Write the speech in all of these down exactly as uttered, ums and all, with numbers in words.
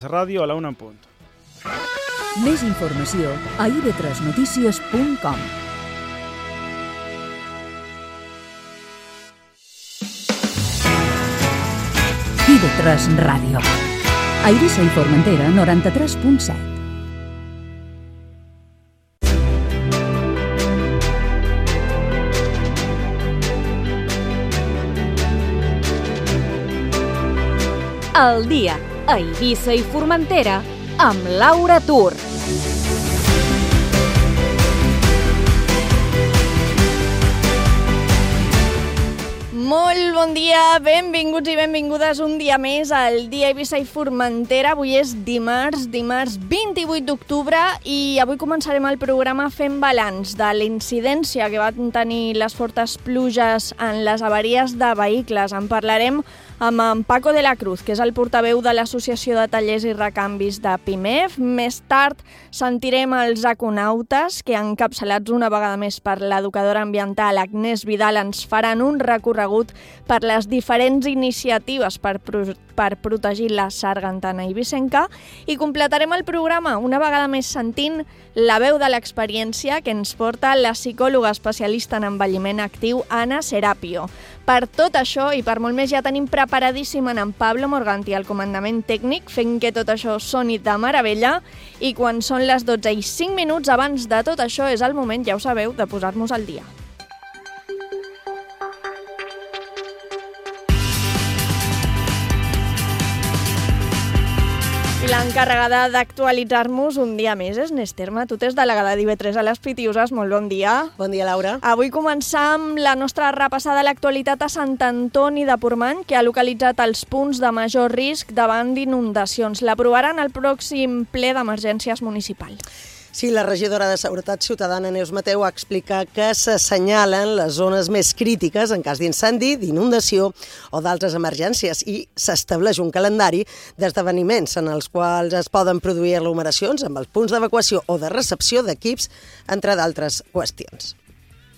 Ràdio a la una en punt. Més informació a i ve tres notícies punt com. i ve tres Ràdio. A Eivissa i Formentera, noranta-tres punt set. El dia a Eivissa i Formentera amb Laura Tur. Molt bon dia, benvinguts i benvingudes un dia més al dia a Eivissa i Formentera. Avui és dimarts, dimarts vint-i-vuit d'octubre i avui començarem el programa fent balanç de la incidència que van tenir les fortes pluges en les avaries de vehicles. En parlarem amb en Paco de la Cruz, que és el portaveu de l'Associació de Tallers i Recanvis de Pimef. Més tard sentirem els econautes, que encapçalats una vegada més per l'educadora ambiental Agnès Vidal ens faran un recorregut per les diferents iniciatives per, pro per protegir la sargantana eivissenca i completarem el programa una vegada més sentint la veu de l'experiència que ens porta la psicòloga especialista en envelliment actiu Anna Serapio. Per tot això i per molt més ja tenim preparadíssim en Pablo Morganti al comandament tècnic, fent que tot això soni de meravella, i quan són les dotze i cinc minuts abans de tot això és el moment, ja ho sabeu, de posar-nos al dia. L'encarregada d'actualitzar-nos un dia més és Nesterma. Tu t'és delegada d'I ve tres a les Pitiuses. Molt bon dia. Bon dia, Laura. Avui començam la nostra repassada a l'actualitat a Sant Antoni de Portmany, que ha localitzat els punts de major risc davant d'inundacions. L'aprovaran al pròxim ple d'emergències municipal. Sí, la regidora de Seguretat Ciutadana, Neus Mateu, ha explicat que s'assenyalen les zones més crítiques en cas d'incendi, d'inundació o d'altres emergències i s'estableix un calendari d'esdeveniments en els quals es poden produir aglomeracions amb els punts d'evacuació o de recepció d'equips, entre d'altres qüestions.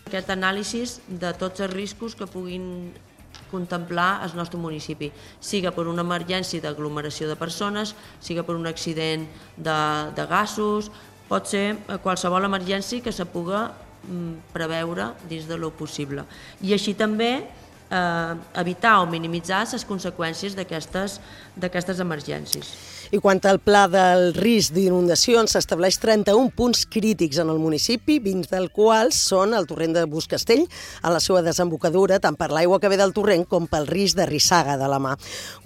Aquest anàlisi de tots els riscos que puguin contemplar el nostre municipi, siga per una emergència d'aglomeració de persones, siga per un accident de, de gasos, pot ser qualsevol emergència que se puga preveure dins de lo possible. I així també eh, evitar o minimitzar les conseqüències d'aquestes emergències. I quant al pla del risc d'inundacions, s'estableix trenta-un punts crítics en el municipi, vint dels quals són el torrent de Buscastell, a la seva desembocadura, tant per l'aigua que ve del torrent com pel risc de rissaga de la mà.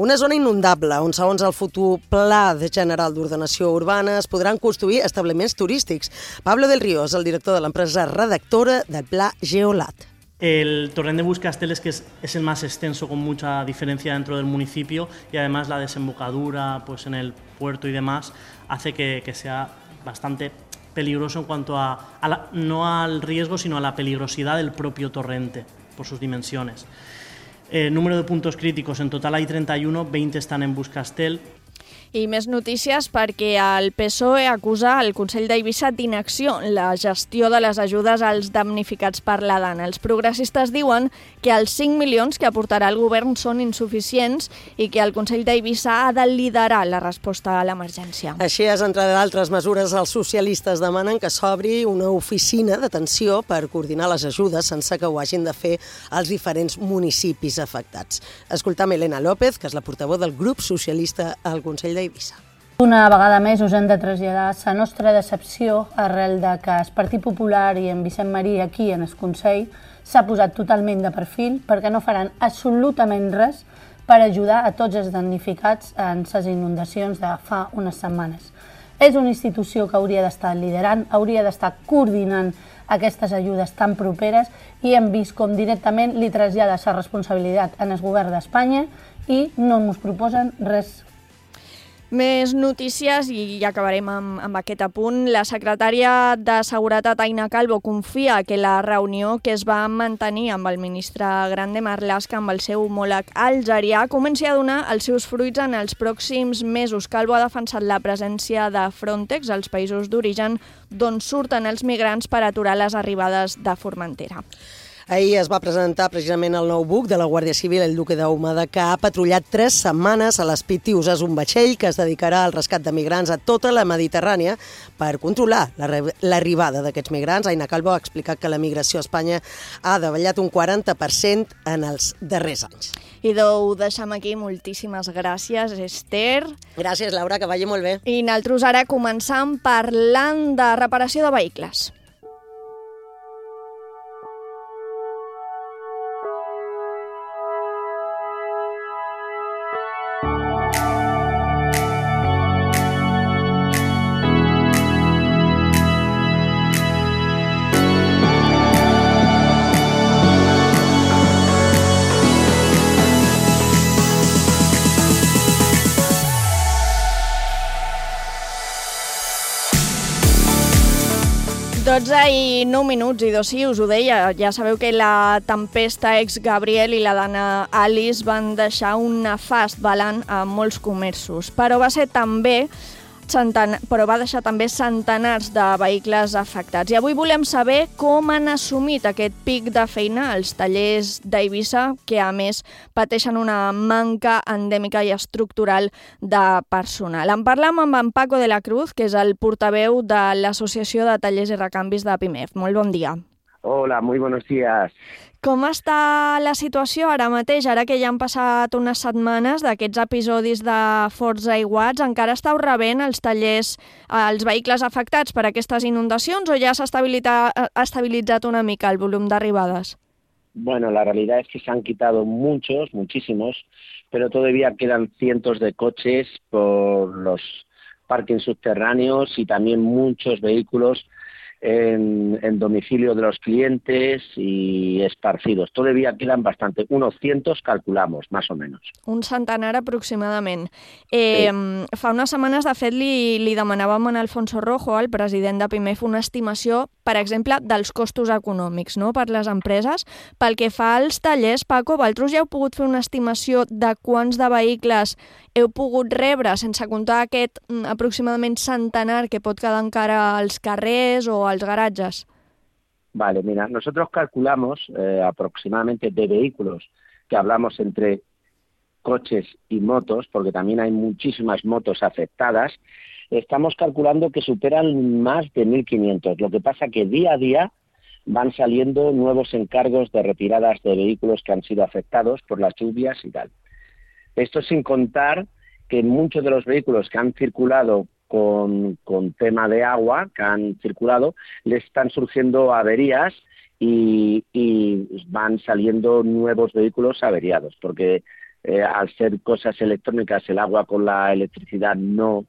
Una zona inundable, on segons el futur Pla General d'Ordenació Urbana es podran construir establiments turístics. Pablo del Río és el director de l'empresa redactora del Pla Geolat. El torrent de Buscastell es que es, es el más extenso, con mucha diferencia dentro del municipio, y además la desembocadura pues, en el puerto y demás hace que, que sea bastante peligroso en cuanto a, a la, no al riesgo, sino a la peligrosidad del propio torrente por sus dimensiones. Eh, número de puntos críticos, en total hay treinta y uno, veinte están en Buscastell. I més notícies perquè el P S O E acusa el Consell d'Eivissa d'inacció en la gestió de les ajudes als damnificats per la Dana. Els progressistes diuen que els cinc milions que aportarà el govern són insuficients i que el Consell d'Eivissa ha de liderar la resposta a l'emergència. Així és, entre d'altres mesures, els socialistes demanen que s'obri una oficina d'atenció per coordinar les ajudes sense que ho hagin de fer els diferents municipis afectats. Escoltam Elena López, que és la portaveu del grup socialista al Consell d'Eivissa. Una vegada més us hem de traslladar la nostra decepció arrel de que el Partit Popular i en Vicent Marí aquí en el Consell s'ha posat totalment de perfil perquè no faran absolutament res per ajudar a tots els damnificats en les inundacions de fa unes setmanes. És una institució que hauria d'estar liderant, hauria d'estar coordinant aquestes ajudes tan properes i hem vist com directament li trasllada la responsabilitat en el govern d'Espanya i no ens proposen res. Més notícies i ja acabarem amb, amb aquest apunt. La secretària de Seguretat, Aina Calvo, confia que la reunió que es va mantenir amb el ministre Grande Marlaska, amb el seu homòleg algerià, comenci a donar els seus fruits en els pròxims mesos. Calvo ha defensat la presència de Frontex als països d'origen d'on surten els migrants per aturar les arribades de Formentera. Ahir es va presentar precisament el nou buc de la Guàrdia Civil, el Duque d'Ahumada, que ha patrullat tres setmanes a les Pitius. És un vaixell que es dedicarà al rescat de migrants a tota la Mediterrània per controlar l'arribada d'aquests migrants. Aina Calvo ha explicat que la migració a Espanya ha davallat un quaranta per cent en els darrers anys. I ho deixem aquí. Moltíssimes gràcies, Esther. Gràcies, Laura, que vagi molt bé. I nosaltres ara començam parlant de reparació de vehicles. dotze i nou minuts, i dos sí, us ho deia, ja sabeu que la tempesta ex-Gabriel i la dana Alice van deixar un nefast balanç a molts comerços, però va ser també Centenar, però va deixar també centenars de vehicles afectats. I avui volem saber com han assumit aquest pic de feina els tallers d'Eivissa, que a més pateixen una manca endèmica i estructural de personal. En parlam amb en Paco de la Cruz, que és el portaveu de l'Associació de Tallers i Recanvis de Pimef. Molt bon dia. Hola, muy buenos días. Com està la situació ara mateix, ara que ja han passat unes setmanes d'aquests episodis de forts aiguats? Encara esteu rebent els tallers, els vehicles afectats per aquestes inundacions, o ja s'ha estabilitzat una mica el volum d'arribades? Bueno, la realidad es que se han quitado muchos, muchísimos, pero todavía quedan cientos de coches por los parkings subterráneos y también muchos vehículos En, en domicilio de los clientes y esparcidos. Todavía quedan bastante, unos cientos calculamos, más o menos. Un centenar aproximadament. Eh, sí. Fa unes setmanes, de fet, li, li demanàvem a Alfonso Rojo, el president de Pimef, una estimació, per exemple, dels costos econòmics, no?, per les empreses. Pel que fa als tallers, Paco, vosaltres ja heu pogut fer una estimació de quants de vehicles heu pogut rebre, sense comptar aquest aproximadament centenar que pot quedar encara als carrers o als garajes? Vale, mira, nosotros calculamos eh, aproximadamente de vehículos, que hablamos entre coches y motos, porque también hay muchísimas motos afectadas, estamos calculando que superan más de mil quinientos. Lo que pasa que día a día van saliendo nuevos encargos de retiradas de vehículos que han sido afectados por las lluvias y tal. Esto sin contar que muchos de los vehículos que han circulado con, con tema de agua, que han circulado, les están surgiendo averías y, y van saliendo nuevos vehículos averiados, porque eh, al ser cosas electrónicas, el agua con la electricidad no,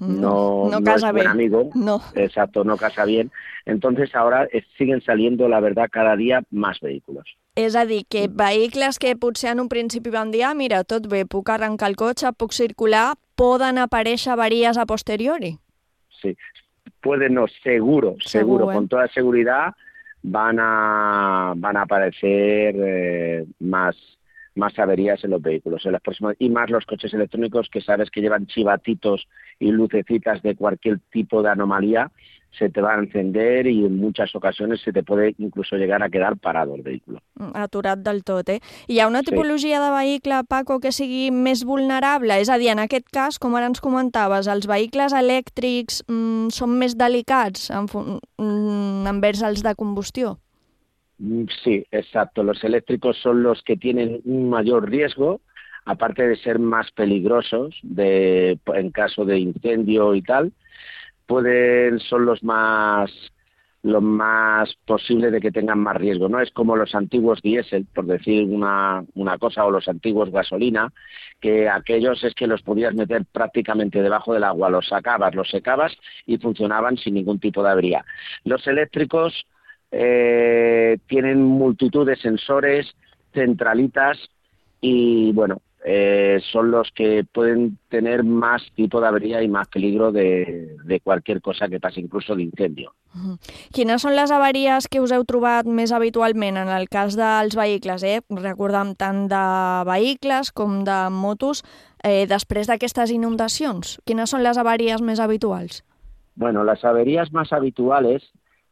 no, no, no casa es buen bien. amigo, no. Exacto, no casa bien. Entonces ahora eh, siguen saliendo, la verdad, cada día más vehículos. És a dir, que vehicles que potser en un principi van dir, ah, mira, tot bé, puc arrencar el cotxe, puc circular, poden aparèixer avaries a posteriori? Sí, pueden, no, seguro, seguro, seguro eh? con toda seguridad van a, van a aparecer eh, más, más averías en los vehículos en las próximas, y más los coches electrónicos, que sabes que llevan chivatitos y lucecitas de cualquier tipo de anomalía, se te va a encender y en muchas ocasiones se te puede incluso llegar a quedar parado el vehículo. Aturat del tot, eh? Hi ha una tipologia sí. de vehicle, Paco, que sigui més vulnerable? És a dir, en aquest cas, com ara ens comentaves, els vehicles elèctrics mm, són més delicats en, mm, envers els de combustió? Sí, exacto. Los eléctricos son los que tienen un mayor riesgo, aparte de ser más peligrosos de, en caso de incendio y tal, pueden son los más lo más posible de que tengan más riesgo, ¿no? Es como los antiguos diésel, por decir una, una cosa, o los antiguos gasolina, que aquellos es que los podías meter prácticamente debajo del agua, los sacabas, los secabas y funcionaban sin ningún tipo de avería. Los eléctricos eh, tienen multitud de sensores, centralitas y, bueno, Eh, son los que pueden tener más tipo de avería y más peligro de, de cualquier cosa que pase, incluso de incendio. Uh-huh. Quines són les avaries que us heu trobat més habitualment en el cas dels vehicles? Eh? Recordem tant de vehicles com de motos eh, després d'aquestes inundacions. Quines són les avaries més habituals? Bueno, las averías más habituales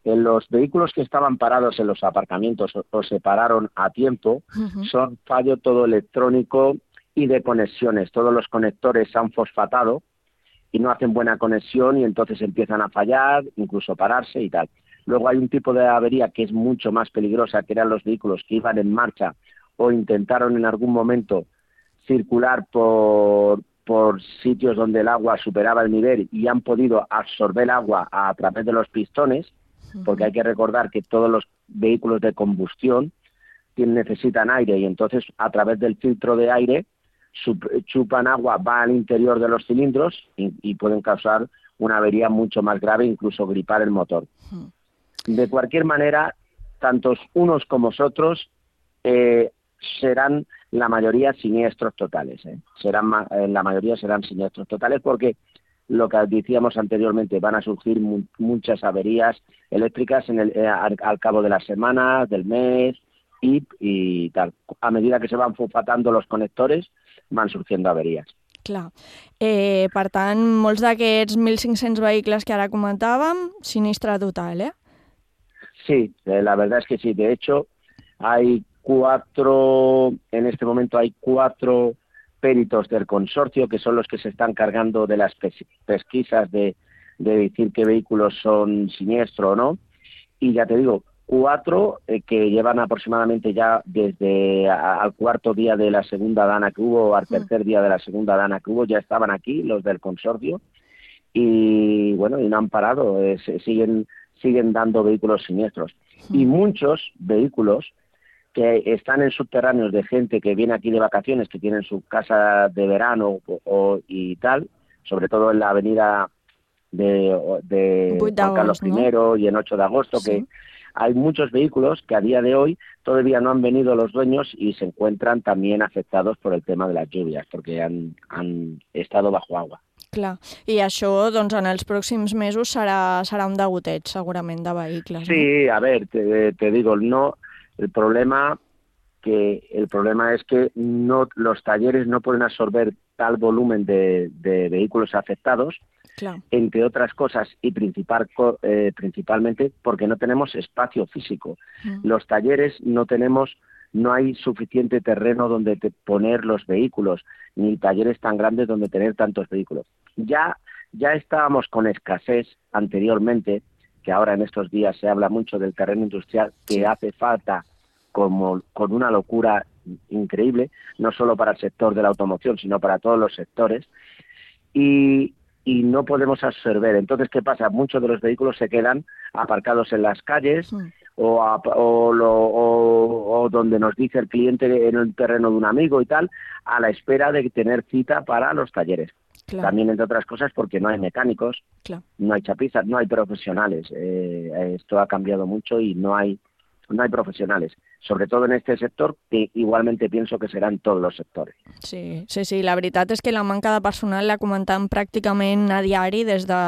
en los vehículos que estaban parados en los aparcamientos o, o se pararon a tiempo, uh-huh. son fallo todo electrónico y de conexiones. Todos los conectores se han fosfatado y no hacen buena conexión y entonces empiezan a fallar, incluso pararse y tal. Luego hay un tipo de avería que es mucho más peligrosa, que eran los vehículos que iban en marcha o intentaron en algún momento circular por, por sitios donde el agua superaba el nivel y han podido absorber agua a través de los pistones, porque hay que recordar que todos los vehículos de combustión tienen, necesitan aire y entonces a través del filtro de aire chupan agua, va al interior de los cilindros y, y pueden causar una avería mucho más grave, incluso gripar el motor. De cualquier manera, tantos unos como otros eh, serán la mayoría siniestros totales. ¿eh? Serán eh, la mayoría serán siniestros totales porque lo que decíamos anteriormente, van a surgir mu muchas averías eléctricas en el, eh, al, al cabo de las semanas, del mes y, y tal. A medida que se van fosfatando los conectores, van surgiendo averías. Clar. Eh, per tant, molts d'aquests mil cinc-cents vehicles que ara comentàvem, sinistre total, ¿eh? Sí, eh, la verdad es que sí. De hecho, hay cuatro, en este momento hay cuatro peritos del consorcio que son los que se están cargando de las pes pesquisas de, de decir qué vehículos son siniestros o no. Y ya te digo, cuatro eh, que llevan aproximadamente ya desde a, al cuarto día de la segunda dana que hubo, al tercer día de la segunda dana que hubo, ya estaban aquí los del consorcio y bueno, y no han parado, eh, se, siguen, siguen dando vehículos siniestros. Y muchos vehículos que están en subterráneos de gente que viene aquí de vacaciones, que tienen su casa de verano o, o, y tal, sobre todo en la avenida de, de Juan Carlos primero, ¿no? Y en ocho de agosto, sí. Que hay muchos vehículos que a día de hoy todavía no han venido los dueños y se encuentran también afectados por el tema de las lluvias, porque han, han estado bajo agua. Clar, i això doncs, en els pròxims mesos serà, serà un degoteig segurament de vehicles. Sí, ¿no? A ver, te, te digo, no... El problema que el problema es que no los talleres no pueden absorber tal volumen de, de vehículos afectados, claro. Entre otras cosas y principal, eh, principalmente porque no tenemos espacio físico. Mm. Los talleres no tenemos, no hay suficiente terreno donde te poner los vehículos, ni talleres tan grandes donde tener tantos vehículos. Ya, ya estábamos con escasez anteriormente, que ahora en estos días se habla mucho del terreno industrial, que sí. Hace falta como con una locura increíble, no solo para el sector de la automoción, sino para todos los sectores, y, y no podemos absorber. Entonces, ¿qué pasa? Muchos de los vehículos se quedan aparcados en las calles sí. o, a, o, lo, o, o donde nos dice el cliente en el terreno de un amigo y tal, a la espera de tener cita para los talleres. Claro. También, entre otras cosas, porque no hay mecánicos, claro. No hay chapistas, no hay profesionales. Eh, esto ha cambiado mucho y no hay, no hay profesionales. Sobre todo en este sector, que igualmente pienso que será en todos los sectores. Sí, sí, sí. La veritat és que la manca de personal la comentam pràcticament a diari des de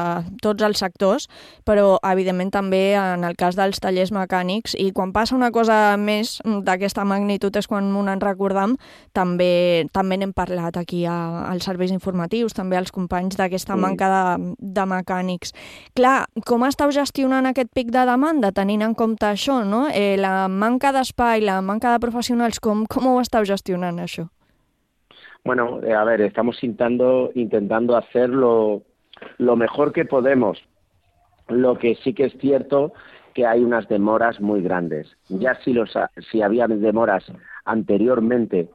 tots els sectors, però evidentment també en el cas dels tallers mecànics, i quan passa una cosa més d'aquesta magnitud és quan m'ho en recordam, també també n'hem parlat aquí a, als serveis informatius, també als companys d'aquesta sí. manca de, de mecànics. Clar, com esteu gestionant aquest pic de demanda, tenint en compte això, no? Eh, la manca d'espai y la manca de profesionales, ¿cómo, cómo está gestionando eso? Bueno, a ver, estamos intentando, intentando hacer lo, lo mejor que podemos. Lo que sí que es cierto que hay unas demoras muy grandes. Ya si, los, si había demoras anteriormente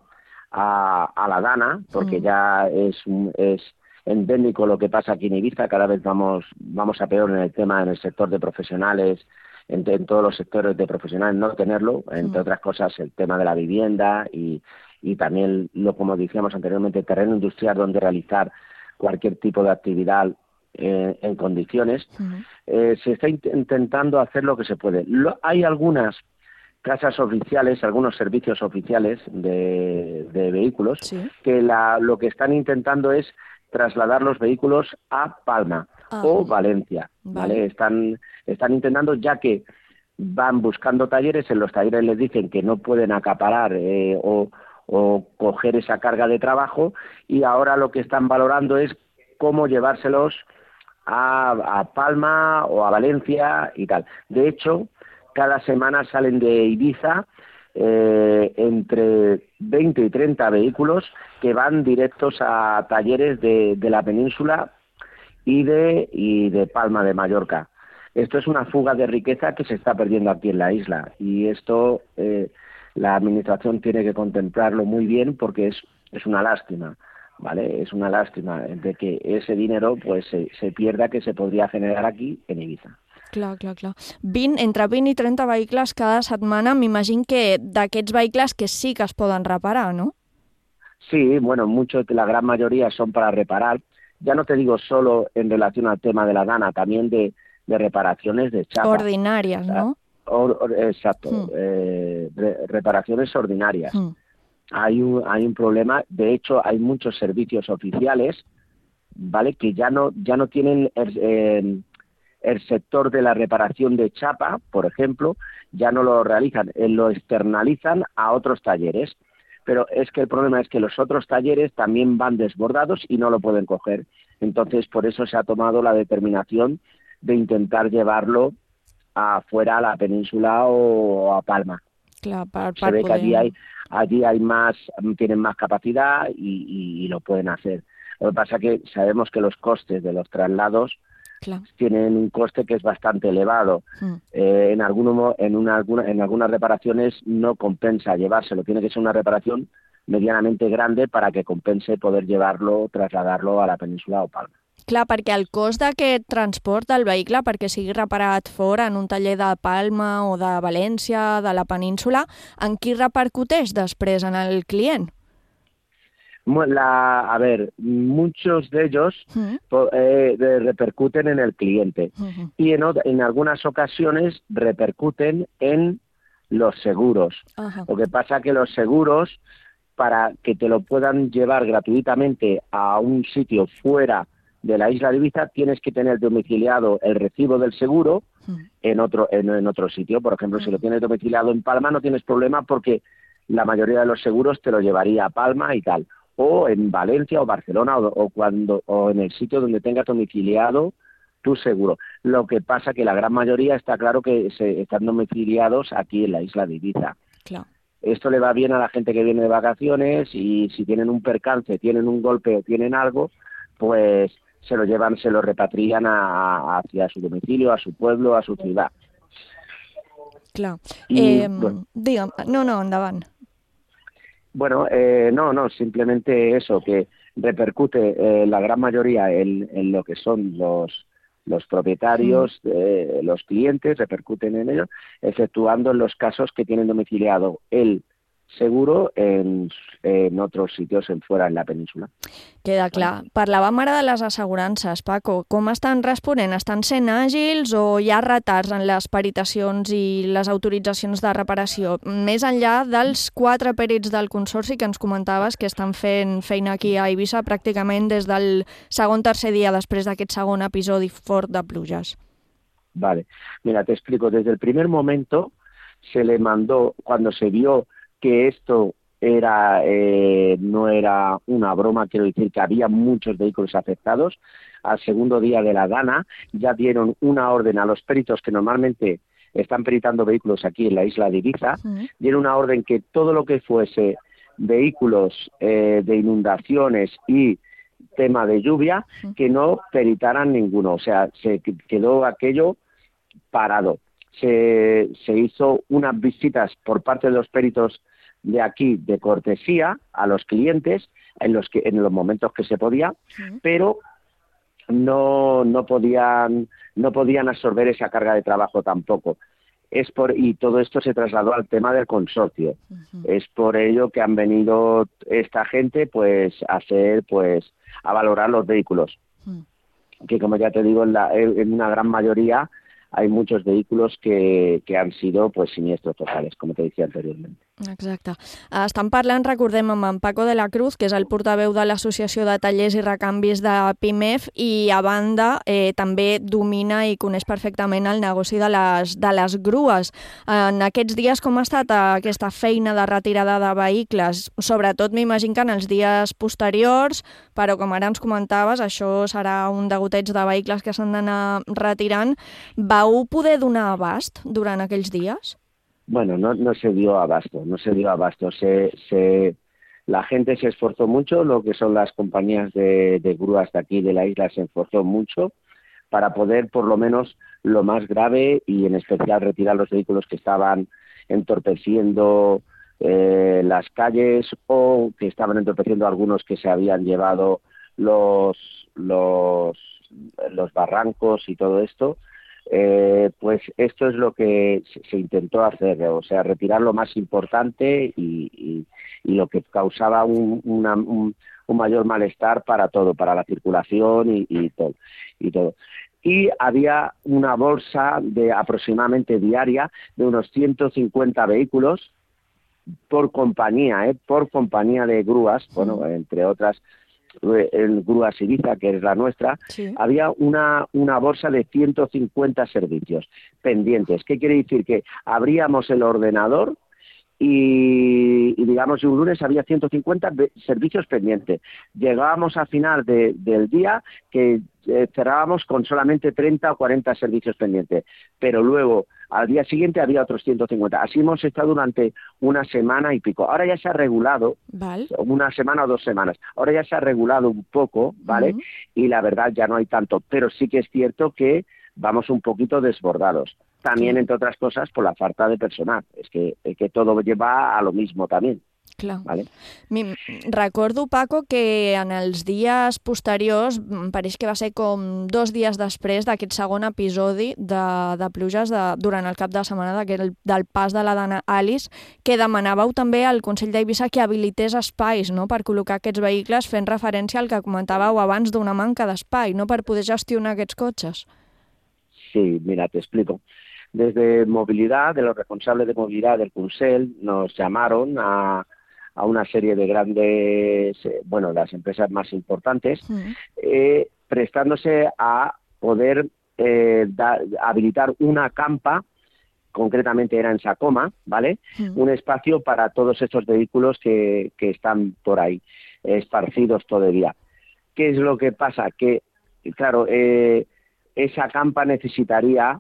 a, a la Dana, porque mm. ya es, es endémico lo que pasa aquí en Ibiza, cada vez vamos, vamos a peor en el tema, en el sector de profesionales, En, en todos los sectores de profesionales no tenerlo, entre otras cosas el tema de la vivienda y, y también, lo como decíamos anteriormente, el terreno industrial donde realizar cualquier tipo de actividad eh, en condiciones. Uh-huh. eh, se está int intentando hacer lo que se puede. Lo, hay algunas casas oficiales, algunos servicios oficiales de, de vehículos, sí. que la, lo que están intentando es trasladar los vehículos a Palma. Ah, o Valencia, ¿vale? Vale. Están, están intentando, ya que van buscando talleres, en los talleres les dicen que no pueden acaparar eh, o, o coger esa carga de trabajo, y ahora lo que están valorando es cómo llevárselos a, a Palma o a Valencia y tal. De hecho, cada semana salen de Ibiza eh, entre veinte y treinta vehículos que van directos a talleres de, de la península y de, y de Palma de Mallorca. Esto es una fuga de riqueza que se está perdiendo aquí en la isla, y esto eh, la administración tiene que contemplarlo muy bien, porque es, es una lástima, ¿vale? Es una lástima de que ese dinero pues se, se pierda, que se podria generar aquí en Ibiza. Clar, clar, clar. vint, entre vint i trenta vehicles cada setmana, m'imagino que d'aquests vehicles que sí que es poden reparar, ¿no? Sí, bueno, muchos, la gran mayoría son para reparar. Ya no te digo solo en relación al tema de la Dana, también de, de reparaciones de chapa. Ordinarias, ¿no? Or, or, exacto, Hmm. eh, re, reparaciones ordinarias. Hmm. Hay un, hay un problema, de hecho hay muchos servicios oficiales, ¿vale? Que ya no, ya no tienen el, eh, el sector de la reparación de chapa, por ejemplo, ya no lo realizan, eh, lo externalizan a otros talleres. Pero es que el problema es que los otros talleres también van desbordados y no lo pueden coger. Entonces, por eso se ha tomado la determinación de intentar llevarlo afuera, a la península o a Palma. Clar, per, Se per ve poder... que allí hay, allí hay más, tienen más capacidad y, y, y lo pueden hacer. Lo que pasa es que sabemos que los costes de los traslados Clar. tienen un coste que es bastante elevado. Mm. Eh, en, alguno, en, una, alguna, en algunas reparaciones no compensa llevárselo, tiene que ser una reparación medianamente grande para que compense poder llevarlo, trasladarlo a la península o Palma. Clar, perquè el cost d'aquest transport del vehicle, perquè sigui reparat fora en un taller de Palma o de València, de la península, en qui repercuteix després en el client? La, a ver, muchos de ellos Mm. eh, de, repercuten en el cliente Mm-hmm. y en, en algunas ocasiones repercuten en los seguros. Ajá. Lo que pasa es que los seguros, para que te lo puedan llevar gratuitamente a un sitio fuera de la isla de Ibiza, tienes que tener domiciliado el recibo del seguro Mm. en otro, en, en otro sitio. Por ejemplo, si lo Mm. tienes domiciliado en Palma no tienes problema, porque la mayoría de los seguros te lo llevaría a Palma y tal, o en Valencia o Barcelona, o, o cuando o en el sitio donde tengas domiciliado tu seguro. Lo que pasa que la gran mayoría está claro que se están domiciliados aquí en la isla de Ibiza. Clar. Esto le va bien a la gente que viene de vacaciones, y si tienen un percance, tienen un golpe o tienen algo, pues se lo llevan, se lo repatrian a, a, hacia su domicilio, a su pueblo, a su ciudad. Clar. I, Eh, bueno. Digue'm, no, no, endavant. Bueno, eh, no, no, simplemente eso, que repercute eh, la gran mayoría en, en lo que son los los propietarios, mm. eh, los clientes, repercuten en ellos, exceptuando en los casos que tienen domiciliado el seguro en, en otros sitios en fuera en la península. Queda clar. Parlàvem ara de les assegurances, Paco. Com estan responent? Estan sent àgils o hi ha retards en les peritacions i les autoritzacions de reparació? Més enllà dels quatre pèrits del Consorci que ens comentaves que estan fent feina aquí a Eivissa pràcticament des del segon tercer dia després d'aquest segon episodi fort de pluges. Vale. Mira, te explico. Desde el primer momento se le mandó, cuando se vio que esto era eh, no era una broma, quiero decir que había muchos vehículos afectados, al segundo día de la Dana ya dieron una orden a los peritos que normalmente están peritando vehículos aquí en la isla de Ibiza, uh-huh. dieron una orden que todo lo que fuese vehículos eh, de inundaciones y tema de lluvia, uh-huh. que no peritaran ninguno, o sea, se quedó aquello parado. Se, se hizo unas visitas por parte de los peritos de aquí de cortesía a los clientes en los que en los momentos que se podía, sí. pero no no podían no podían absorber esa carga de trabajo tampoco. Es por y todo esto se trasladó al tema del consorcio. Uh-huh. Es por ello que han venido esta gente pues a hacer pues a valorar los vehículos. Uh-huh. Que como ya te digo, en, la, en una gran mayoría hay muchos vehículos que, que han sido pues siniestros totales, como te decía anteriormente. Exacte. Estan parlant, recordem, amb en Paco de la Cruz, que és el portaveu de l'Associació de Tallers i Recanvis de Pimef, i a banda eh, també domina i coneix perfectament el negoci de les, de les grues. En aquests dies, com ha estat aquesta feina de retirada de vehicles? Sobretot m'imagino que en els dies posteriors, però com ara ens comentaves, això serà un degoteig de vehicles que s'han d'anar retirant. Vau poder donar abast durant aquells dies? Bueno, no, no se dio abasto, no se dio abasto. Se, se, la gente se esforzó mucho, lo que son las compañías de, de grúas de aquí de la isla se esforzó mucho para poder, por lo menos, lo más grave y en especial retirar los vehículos que estaban entorpeciendo eh, las calles o que estaban entorpeciendo algunos que se habían llevado los, los, los barrancos y todo esto. Eh, pues esto es lo que se intentó hacer, o sea, retirar lo más importante y, y, y lo que causaba un, una, un, un mayor malestar para todo, para la circulación y, y, todo, y todo. Y había una bolsa de aproximadamente diaria de unos ciento cincuenta vehículos por compañía, ¿eh? por compañía de grúas, bueno, entre otras en Grúas Ibiza, que es la nuestra, sí. había una, una bolsa de ciento cincuenta servicios pendientes. ¿Qué quiere decir? Que abríamos el ordenador y, y digamos, un lunes había ciento cincuenta servicios pendientes. Llegábamos a final de, del día que eh, cerrábamos con solamente treinta o cuarenta servicios pendientes, pero luego al día siguiente había otros ciento cincuenta. Así hemos estado durante una semana y pico. Ahora ya se ha regulado, vale. una semana o dos semanas. Ahora ya se ha regulado un poco, ¿vale? Uh-huh. Y la verdad ya no hay tanto. Pero sí que es cierto que vamos un poquito desbordados. También, entre otras cosas, por la falta de personal. És que, es que todo lleva a lo mismo también. Clar. Vale? Recordo, Paco, que en els dies posteriors, pareix que va ser com dos dies després d'aquest segon episodi de, de pluges de, durant el cap de setmana del, del pas de la Dana Alice, que demanàveu també al Consell d'Eivissa que habilités espais, no?, per col·locar aquests vehicles, fent referència al que comentàveu abans d'una manca d'espai, no?, per poder gestionar aquests cotxes. Sí, mira, te explico. Desde movilidad, de los responsables de movilidad del Consell, nos llamaron a a una serie de grandes, bueno, las empresas más importantes, uh-huh. eh, prestándose a poder eh, da, habilitar una campa, concretamente era en Sacoma, ¿vale? Uh-huh. Un espacio para todos estos vehículos que, que están por ahí, esparcidos todavía. ¿Qué es lo que pasa? Que, claro, eh, esa campa necesitaría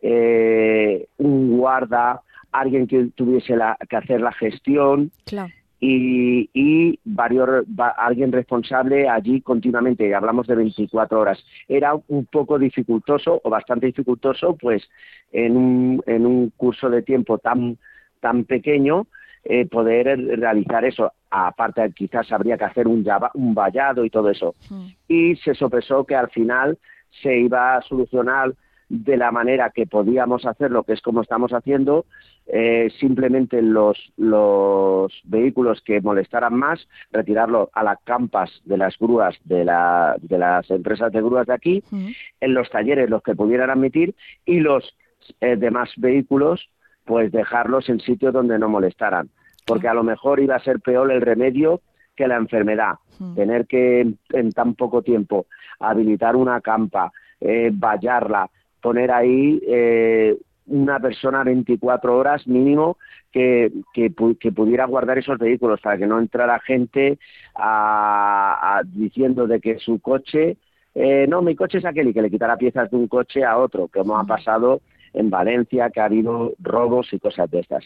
eh, un guarda, alguien que tuviese la, que hacer la gestión, claro. Y, y varios, va, alguien responsable allí continuamente, hablamos de veinticuatro horas. Era un poco dificultoso o bastante dificultoso, pues en un, en un curso de tiempo tan, tan pequeño eh, poder realizar eso. Aparte, quizás habría que hacer un, un vallado y todo eso. Sí. Y se sopesó que al final se iba a solucionar de la manera que podíamos hacerlo, que es como estamos haciendo, eh, simplemente los, los vehículos que molestaran más, retirarlo a las campas de las grúas de, la, de las empresas de grúas de aquí, uh-huh. en los talleres los que pudieran admitir, y los eh, demás vehículos, pues dejarlos en sitios donde no molestaran, porque a lo mejor iba a ser peor el remedio que la enfermedad, uh-huh. tener que en tan poco tiempo habilitar una campa, eh, vallarla, poner ahí eh, una persona veinticuatro horas mínimo que, que, que pudiera guardar esos vehículos para que no entrara gente a, a, diciendo de que su coche, eh, no, mi coche es aquel, y que le quitara piezas de un coche a otro, como ha pasado en Valencia, que ha habido robos y cosas de estas.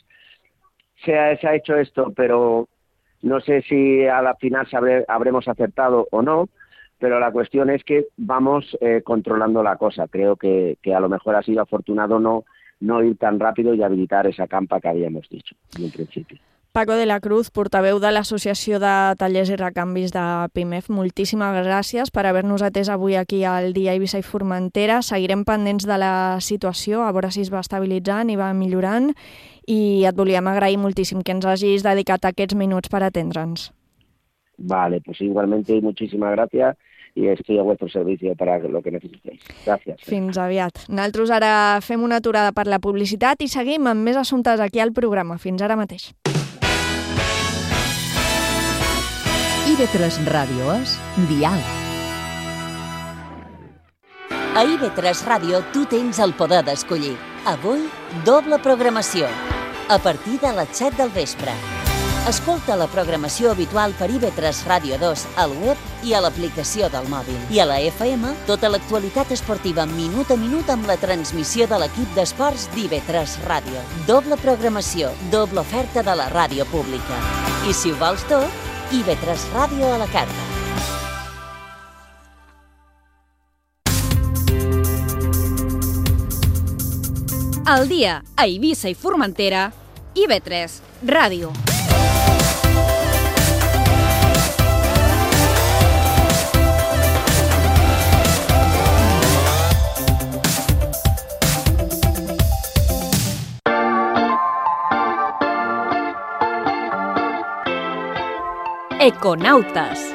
Se ha, se ha hecho esto, pero no sé si a la final sabré, habremos acertado o no, pero la cuestión es que vamos eh, controlando la cosa. Creo que, que a lo mejor ha sido afortunado no, no ir tan rápido y habilitar esa campa que habíamos dicho en un principio. Paco de la Cruz, portaveu de l'Associació de Tallers i Recanvis de Pimef, moltíssimes gràcies per haver-nos atès avui aquí al Dia Eivissa i Formentera. Seguirem pendents de la situació, a veure si es va estabilitzant i va millorant, i et volíem agrair moltíssim que ens hagis dedicat aquests minuts per atendre'ns. Vale, pues igualmente muchísimas gracias i estic a vuestro servicio para lo que necessitéis. Gràcies. Fins aviat. Nosaltres ara fem una aturada per la publicitat i seguim amb més assumptes aquí al programa. Fins ara mateix. I V tres Ràdio és diàleg. A I V tres Ràdio tu tens el poder d'escollir. Avui, doble programació. A partir de les set del vespre. Escolta la programació habitual per I V tres Ràdio dos al web i a l'aplicació del mòbil. I a la F M, tota l'actualitat esportiva minut a minut amb la transmissió de l'equip d'esports d'I V tres Ràdio. Doble programació, doble oferta de la ràdio pública. I si ho vols tot, I V tres Ràdio a la carta. Al dia, a Eivissa i Formentera, I V tres Ràdio. Econautes.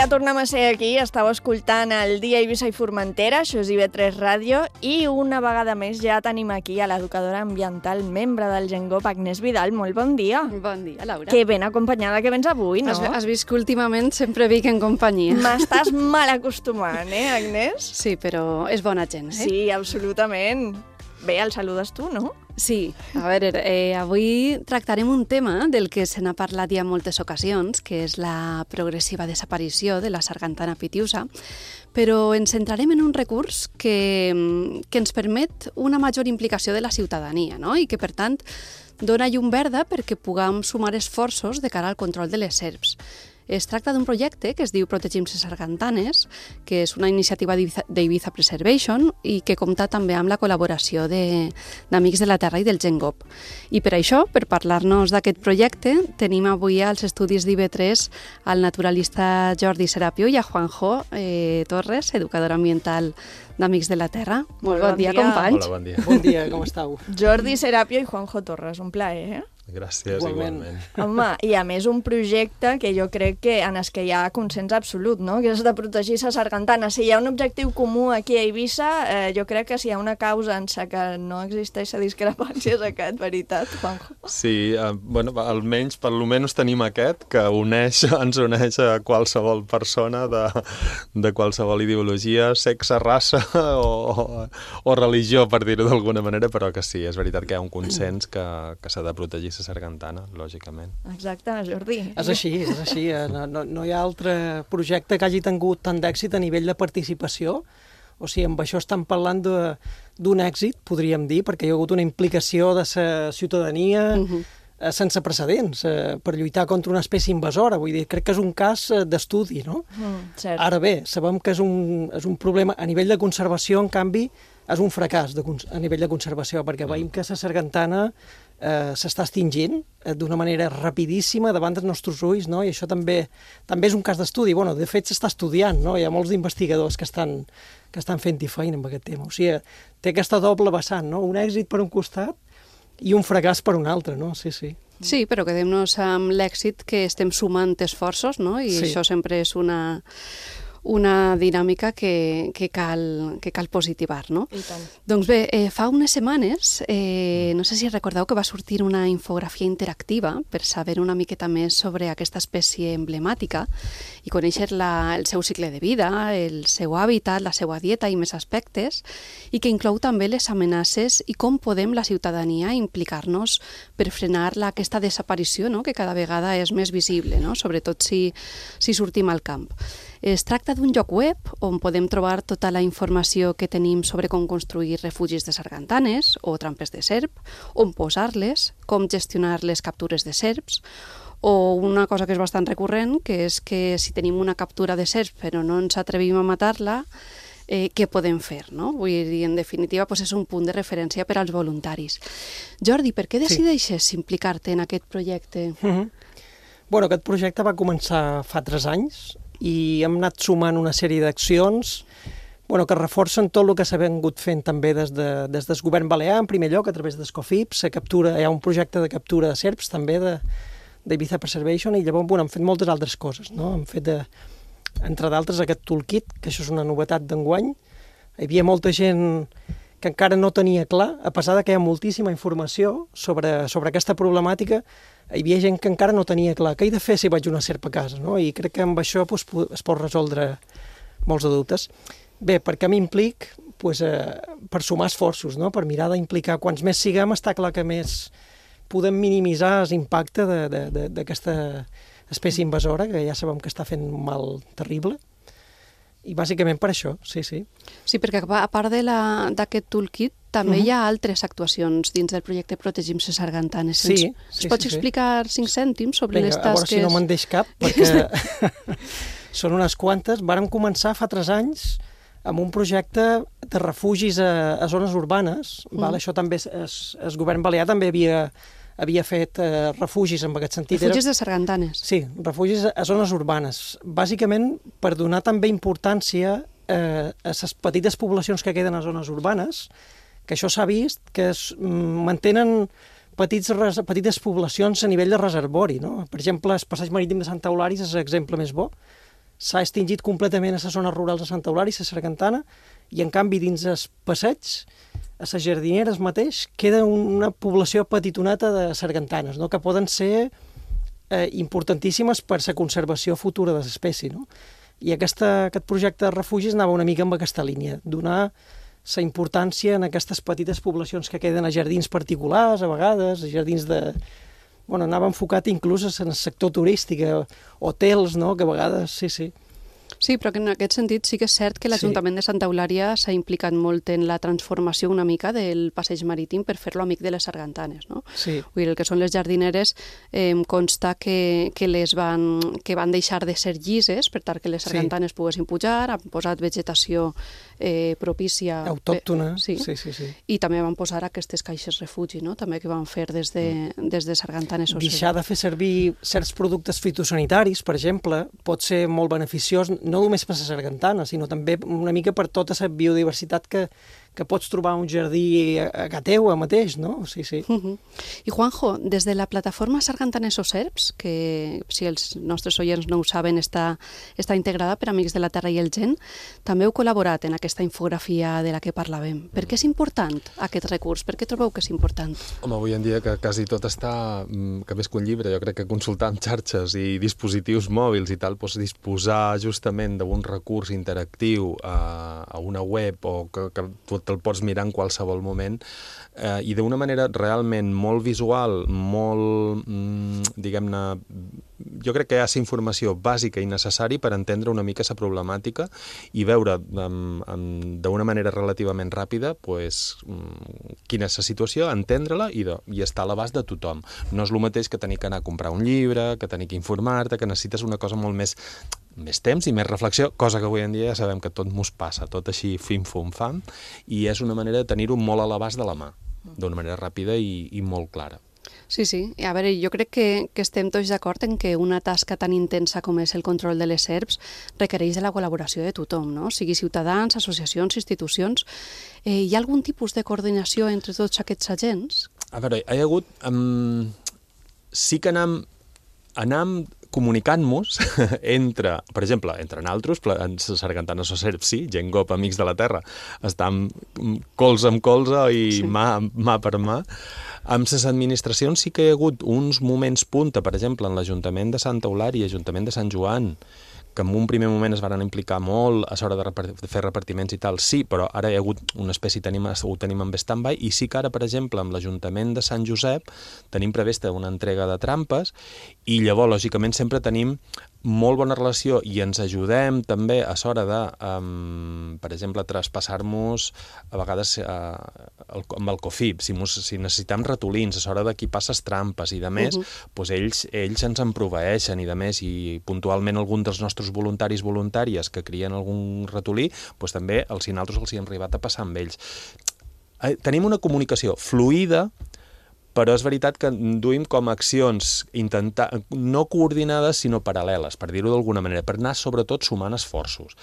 Ja tornem a ser aquí, estàu escoltant el Dia Eivissa i Formentera, això és I V tres Ràdio, i una vegada més ja tenim aquí a l'educadora ambiental, membre del GenGop, Agnès Vidal. Molt bon dia. Bon dia, Laura. Que ben acompanyada que vens avui, no? Has, has vist que últimament sempre vinc en companyia. M'estàs mal acostumant, eh, Agnès? Sí, però és bona gent, eh? Sí, absolutament. Bé, el saludes tu, no? Sí, a veure, eh, avui tractarem un tema del que se n'ha parlat ja en moltes ocasions, que és la progressiva desaparició de la sargantana pitiusa, però ens centrarem en un recurs que, que ens permet una major implicació de la ciutadania, no? I que, per tant, dona llum verda perquè puguem sumar esforços de cara al control de les serps. Es tracta d'un projecte que es diu Protegim les sargantanes, que és una iniciativa d'Eivissa Preservation i que compta també amb la col·laboració d'Amics de la Terra i del GenGop. I per això, per parlar-nos d'aquest projecte, tenim avui als estudis d'I V tres al naturalista Jordi Serapio i a Juanjo eh, Torres, educador ambiental d'Amics de la Terra. Molt bon, bon dia, dia, companys. Hola, bon dia. Bon dia, com estàu? Jordi Serapio i Juanjo Torres, un plaer, eh? Gràcies, igualment. igualment. Home, i a més un projecte que jo crec que en el que hi ha consens absolut, no? Que és de protegir la sargantana. Si hi ha un objectiu comú aquí a Eivissa, eh, jo crec que si hi ha una causa en la que no existeix la discrepància és aquest, veritat, Juanjo? Sí, eh, bueno, almenys, per almenys tenim aquest, que uneix, ens uneix a qualsevol persona de, de qualsevol ideologia, sexe, raça o, o religió, per dir-ho d'alguna manera, però que sí, és veritat que hi ha un consens que, que s'ha de protegir la sargantana, lògicament. Exacte, Jordi. És així, és així. No, no, no hi ha altre projecte que hagi tingut tant d'èxit a nivell de participació. O sigui, amb això estem parlant d'un èxit, podríem dir, perquè hi ha hagut una implicació de la ciutadania uh-huh. eh, sense precedents eh, per lluitar contra una espècie invasora. Vull dir, crec que és un cas d'estudi, no? Mm, cert. Ara bé, sabem que és un, és un problema. A nivell de conservació, en canvi, és un fracàs de, a nivell de conservació, perquè veiem que la sargantana eh, s'està extingint eh, d'una manera rapidíssima davant dels nostres ulls, no? I això també també és un cas d'estudi. Bueno, de fet, s'està estudiant, no? Hi ha molts investigadors que estan, que estan fent-hi feina amb aquest tema. O sigui, té aquesta doble vessant, no? Un èxit per un costat i un fracàs per un altre, no? Sí, sí. Sí, però quedem-nos amb l'èxit que estem sumant esforços, no? I sí. Això sempre és una... una dinàmica que, que, cal, que cal positivar, no? I tant. Doncs bé, eh, fa unes setmanes, eh, no sé si recordeu que va sortir una infografia interactiva per saber una miqueta més sobre aquesta espècie emblemàtica i conèixer la, el seu cicle de vida, el seu hàbitat, la seva dieta i més aspectes, i que inclou també les amenaces i com podem la ciutadania implicar-nos per frenar la, aquesta desaparició, no? Que cada vegada és més visible, no? Sobretot si, si sortim al camp. Es tracta d'un lloc web on podem trobar tota la informació que tenim sobre com construir refugis de sargantanes o trampes de serp, on posar-les, com gestionar les captures de serps, o una cosa que és bastant recurrent, que és que si tenim una captura de serp però no ens atrevim a matar-la, eh, què podem fer, no? Vull dir, en definitiva, doncs és un punt de referència per als voluntaris. Jordi, per què decideixes sí. implicar-te en aquest projecte? Mm-hmm. Bueno, aquest projecte va començar fa tres anys, i hem anat sumant una sèrie d'accions bueno, que reforcen tot el que s'ha vingut fent també des, de, des del govern balear, en primer lloc, a través d'Escofips, captura, hi ha un projecte de captura de serps també d'Eivissa Preservation, i llavors bueno, hem fet moltes altres coses, no? Hem fet, de, entre d'altres, aquest toolkit, que això és una novetat d'enguany, Hi havia molta gent que encara no tenia clar, a pesar de que hi ha moltíssima informació sobre, sobre aquesta problemàtica, hi havia gent que encara no tenia clar què he de fer si vaig a una serp a casa, no? I crec que amb això doncs, es pot resoldre molts de dubtes. Bé, per què m'implic? Pues, eh, per sumar esforços, no? Per mirar d'implicar. Quants més siguem, està clar que més podem minimitzar l'impacte d'aquesta espècie invasora, que ja sabem que està fent un mal terrible. I bàsicament per això, sí, sí. Sí, perquè a part d'aquest toolkit també uh-huh. hi ha altres actuacions dins del projecte Protegim les sargantanes. Sí, sí, Ens sí, pots sí, explicar cinc cèntims sobre Vinga, les tasques? a veure si no me'n deix cap, perquè són unes quantes. Vàrem començar fa tres anys amb un projecte de refugis a, a zones urbanes. Mm. Val? Això també, es, el govern balear també havia, havia fet eh, refugis en aquest sentit. Refugis de sargantanes. Sí, refugis a zones urbanes. Bàsicament per donar també importància eh, a les petites poblacions que queden a zones urbanes, que això s'ha vist, que es mantenen petits, petites poblacions a nivell de reservori. No? Per exemple, el passeig marítim de Santa Eulària és l'exemple més bo. S'ha extingit completament a les zones rurals de Santa Eulària, a Sargantana, i en canvi dins el passeig, a les jardineres mateix, queda una població petitoneta de sargantanes, no? Que poden ser eh, importantíssimes per la conservació futura de l'espècie. No? I aquesta, aquest projecte de refugis anava una mica amb aquesta línia, donar la importància en aquestes petites poblacions que queden a jardins particulars, a vegades, a jardins de... Bueno, anava enfocat inclús en el sector turístic, hotels, no?, que a vegades, sí, sí. Sí, però que en aquest sentit sí que és cert que l'Ajuntament sí. de Santa Eulària s'ha implicat molt en la transformació una mica del passeig marítim per fer-lo amic de les sargantanes, no? Sí. Vull dir, el que són les jardineres eh, consta que, que, les van, que van deixar de ser llises per tal que les sargantanes sí. poguessin pujar, han posat vegetació eh, propícia... Autòctona, sí. Sí, sí, sí. I també van posar aquestes caixes refugi, no?, també que van fer des de, mm. des de sargantanes. Deixar de fer servir certs productes fitosanitaris, per exemple, pot ser molt beneficiós, no només per la sargantana, sinó també una mica per tota la biodiversitat que, que pots trobar un jardí a, a teu mateix, no? Sí, sí. Uh-huh. I Juanjo, des de la plataforma Sargantanes o Serps, que si els nostres oients no ho saben, està, està integrada per Amics de la Terra i el Gent, també heu col·laborat en aquesta infografia de la que parlàvem. Per què és important aquest recurs? Per què trobeu que és important? Home, avui en dia que quasi tot està, que més que un llibre, jo crec que consultant xarxes i dispositius mòbils i tal, doncs disposar justament d'un recurs interactiu a, a una web o que, que tu te'l pots mirar en qualsevol moment eh, i d'una manera realment molt visual, molt, mm, diguem-ne, jo crec que hi ha la informació bàsica i necessària per entendre una mica la problemàtica i veure um, um, d'una manera relativament ràpida pues, um, quina és la situació, entendre-la i, de, i estar a l'abast de tothom. No és el mateix que tenir que anar a comprar un llibre, que tenir que informar-te, que necessites una cosa molt més més temps i més reflexió, cosa que avui en dia ja sabem que tot mos passa, tot així fim-fum-fam, i és una manera de tenir-ho molt a l'abast de la mà, d'una manera ràpida i, i molt clara. Sí, sí. A veure, jo crec que, que estem tots d'acord en que una tasca tan intensa com és el control de les serps requereix de la col·laboració de tothom, no? Sigui ciutadans, associacions, institucions. Eh, hi ha algun tipus de coordinació entre tots aquests agents? A veure, hi ha hagut... Um, sí que anam, anam comunicant-nos entre, per exemple, entre naltros, en Sargantanes o Serps, sí, gent gop, Amics de la Terra, estan colze amb colze i sí. mà, mà per mà. Amb les administracions sí que hi ha hagut uns moments punta, per exemple, en l'Ajuntament de Santa Eulària i l'Ajuntament de Sant Joan, que en un primer moment es van implicar molt a l'hora de, de fer repartiments i tal, sí, però ara hi ha hagut una espècie, tenim, ho tenim en stand-by, i sí que ara, per exemple, amb l'Ajuntament de Sant Josep tenim prevista una entrega de trampes i llavors, lògicament, sempre tenim molt bona relació i ens ajudem també a l'hora de, um, per exemple, traspassar-nos a vegades uh, el, amb el COFIP, si, mos, si necessitem ratolins, a l'hora de qui passa trampes i de més, uh -huh. doncs ells, ells ens en proveeixen i de més, i puntualment algun dels nostres voluntaris voluntàries que crien algun ratolí, doncs també els sinaltros els hi han arribat a passar amb ells. Eh, tenim una comunicació fluida, però és veritat que duim com a accions intentar, no coordinades, sinó paral·leles, per dir-ho d'alguna manera, per anar sobretot sumant esforços.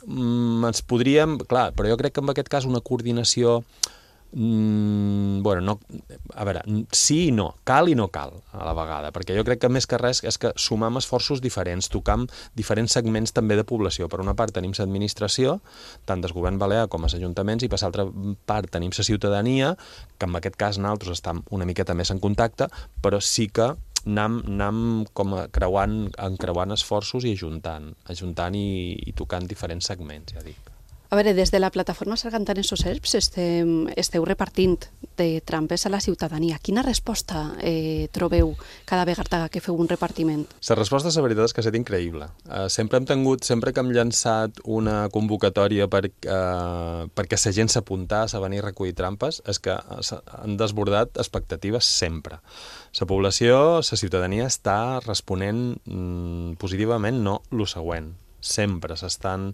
Mm, ens podríem, clar, però jo crec que en aquest cas una coordinació Mm, bueno, no, a veure, sí i no, cal i no cal a la vegada, perquè jo crec que més que res és que sumam esforços diferents, tocam diferents segments també de població. Per una part tenim l'administració, tant del govern balear com els ajuntaments, i per l'altra part tenim la ciutadania, que en aquest cas nosaltres estem una miqueta més en contacte, però sí que anem, anem com a creuant, encreuant esforços i ajuntant, ajuntant i, i tocant diferents segments, ja dic. A veure, des de la plataforma Sargantanes o Serps esteu, esteu repartint de trampes a la ciutadania. Quina resposta eh, trobeu cada vegada que feu un repartiment? La resposta, la veritat, és que ha estat increïble. Uh, sempre hem tingut, sempre que hem llançat una convocatòria per, uh, perquè la gent s'apuntàs a venir a recollir trampes, és que han desbordat expectatives sempre. La població, la ciutadania està responent mm, positivament, no el següent. Sempre s'estan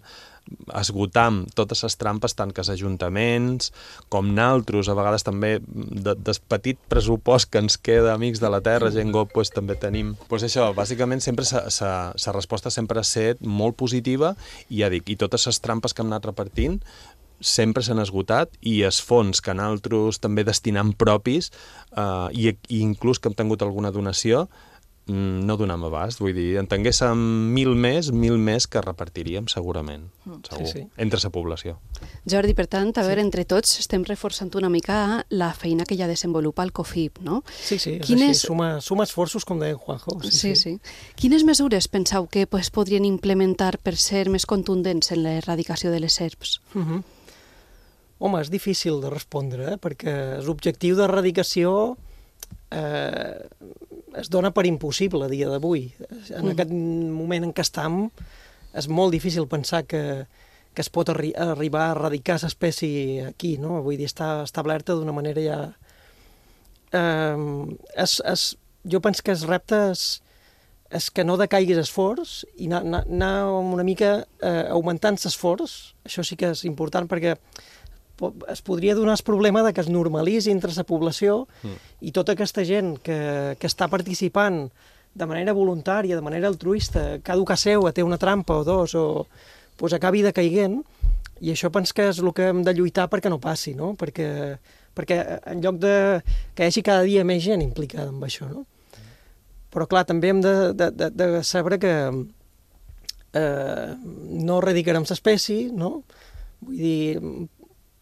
esgotant totes les trampes, tant que els ajuntaments com naltros, a vegades també de, del petit pressupost que ens queda amics de la terra, gent gop, pues, també tenim. Pues això, bàsicament sempre la resposta sempre ha estat molt positiva i ja dic, i totes les trampes que hem anat repartint sempre s'han esgotat i els fons que naltros també destinam propis eh, i, i inclús que hem tingut alguna donació no donam abast, vull dir, en tinguéssim mil més, mil més que repartiríem segurament, segur, sí, sí. entre la població. Jordi, per tant, a veure, sí. entre tots estem reforçant una mica la feina que ja desenvolupa el COFIP, no? Sí, sí, és Quines... així, suma, suma esforços, com deia Juanjo. Sí, sí, sí. Quines mesures penseu que pues, podrien implementar per ser més contundents en l'erradicació de les serps? Uh -huh. Home, és difícil de respondre, eh? perquè l'objectiu d'erradicació eh, es dona per impossible a dia d'avui. En mm. aquest moment en què estem, és molt difícil pensar que, que es pot arri arribar a erradicar l'espècie aquí, no? Vull dir, està establerta d'una manera ja... Eh, es, es, jo penso que el repte és, és que no decaiguis esforç i anar, anar una mica eh, augmentant l'esforç. Això sí que és important perquè es podria donar el problema de que es normalitzi entre la població mm. i tota aquesta gent que, que està participant de manera voluntària, de manera altruista, cada que seu té una trampa o dos, o pues, acabi decaiguent, i això penso que és el que hem de lluitar perquè no passi, no? Perquè, perquè en lloc de que hi hagi cada dia més gent implicada en això, no? Però clar, també hem de, de, de, de saber que eh, no erradicarem l'espècie, no? Vull dir,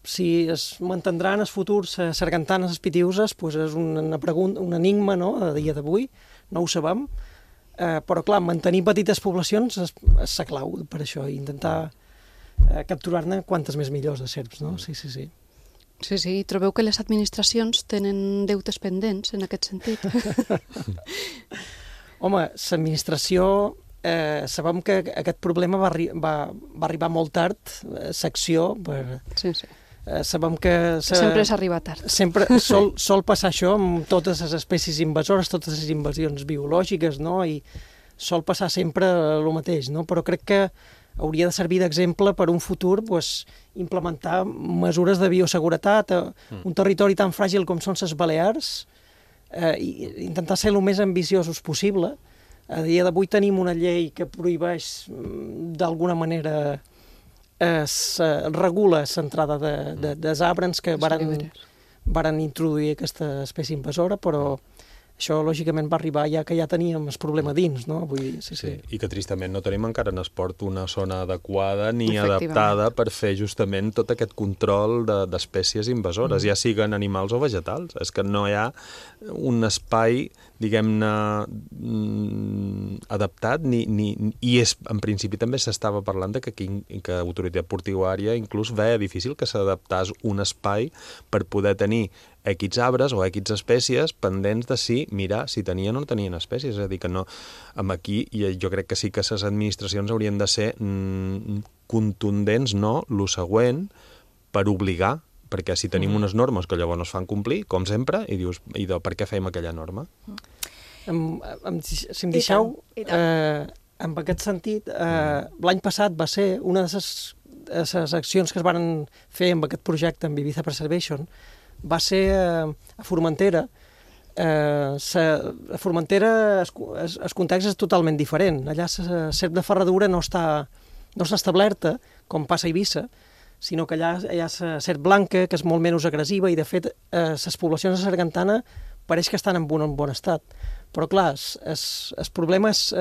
si es mantindran en el futur les sargantanes espitiuses, pues és una pregunta, un enigma, no?, a dia d'avui, no ho sabem, eh, però clar, mantenir petites poblacions és, és la clau per això, i intentar eh, capturar-ne quantes més millors de serps, no? Sí, sí, sí. Sí, sí, trobeu que les administracions tenen deutes pendents en aquest sentit? Home, l'administració... Eh, sabem que aquest problema va, arri va, va arribar molt tard, eh, secció, per... Sí, sí. Eh, sabem que... Sempre s'arriba tard. Sempre sol, sol passar això amb totes les espècies invasores, totes les invasions biològiques, no? I sol passar sempre el mateix, no? Però crec que hauria de servir d'exemple per un futur, pues, implementar mesures de bioseguretat a un territori tan fràgil com són les Balears, eh, i intentar ser el més ambiciosos possible. A dia d'avui tenim una llei que prohibeix d'alguna manera, es regula l'entrada de, de, de zabrans que varen, varen introduir aquesta espècie invasora, però això lògicament va arribar ja que ja teníem el problema dins, no? Vull dir, sí, sí. Sí, i que tristament no tenim encara en esport una zona adequada ni adaptada per fer justament tot aquest control d'espècies invasores, mm. ja siguen animals o vegetals. És que no hi ha un espai, diguem-ne, adaptat, ni, ni, i és, en principi també s'estava parlant de que, que Autoritat Portuària inclús veia difícil que s'adaptés un espai per poder tenir equits arbres o equits espècies pendents de si, mirar si tenien o no tenien espècies. És a dir, que no, amb aquí jo crec que sí que les administracions haurien de ser mm, contundents, no, lo següent, per obligar, perquè si tenim mm. unes normes que llavors no es fan complir, com sempre, i dius, i de, per què fem aquella norma? Em, em, si em deixeu, eh, en aquest sentit, eh, l'any passat va ser una de les, les accions que es van fer amb aquest projecte, amb Ibiza Preservation, va ser eh, a Formentera. Eh, sa, a Formentera el, el context és totalment diferent. Allà la serp de ferradura no està, no està establerta, com passa a Eivissa, sinó que allà hi ha serp blanca, que és molt menys agressiva, i de fet les poblacions de sargantana pareix que estan en bon, en bon estat. Però clar, el problema és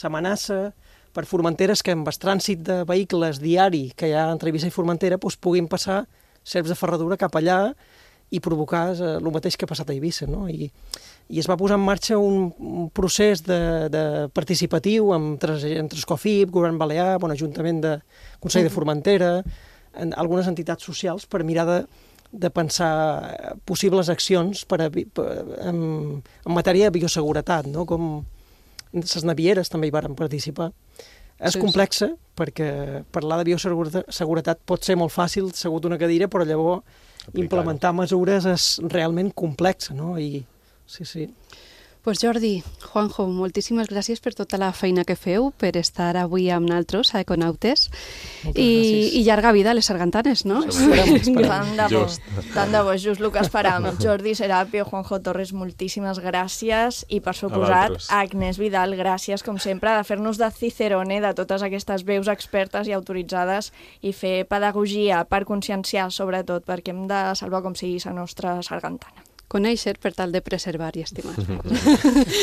l'amenaça per Formentera, que amb el trànsit de vehicles diari que hi ha entre Eivissa i Formentera doncs puguin passar serps de ferradura cap allà i provocar el mateix que ha passat a Eivissa, no? I, i es va posar en marxa un, un procés de, de participatiu entre, entre Escofip, Govern Balear, bon, Ajuntament de Consell de Formentera, en, algunes entitats socials per mirar de, de pensar possibles accions per a, per, en, en matèria de bioseguretat, no? Com les navieres també hi varen participar. És sí, complexa, sí. perquè parlar de bioseguretat pot ser molt fàcil, segut una cadira, però llavors aplicar. Implementar mesures és realment complexa, no? I, sí, sí. Pues Jordi, Juanjo, moltíssimes gràcies per tota la feina que feu, per estar avui amb nosaltres a Econautes, i, i llarga vida a les sargantanes, no? Esperem, esperem. Tant de bo, tant de bo, just el que esperam. Jordi Serapio, Juanjo Torres, moltíssimes gràcies, i per suposat, Agnès Vidal, gràcies, com sempre, de fer-nos de cicerone de totes aquestes veus expertes i autoritzades i fer pedagogia per conscienciar, sobretot, perquè hem de salvar com sigui la nostra sargantana. Conèixer per tal de preservar i estimar.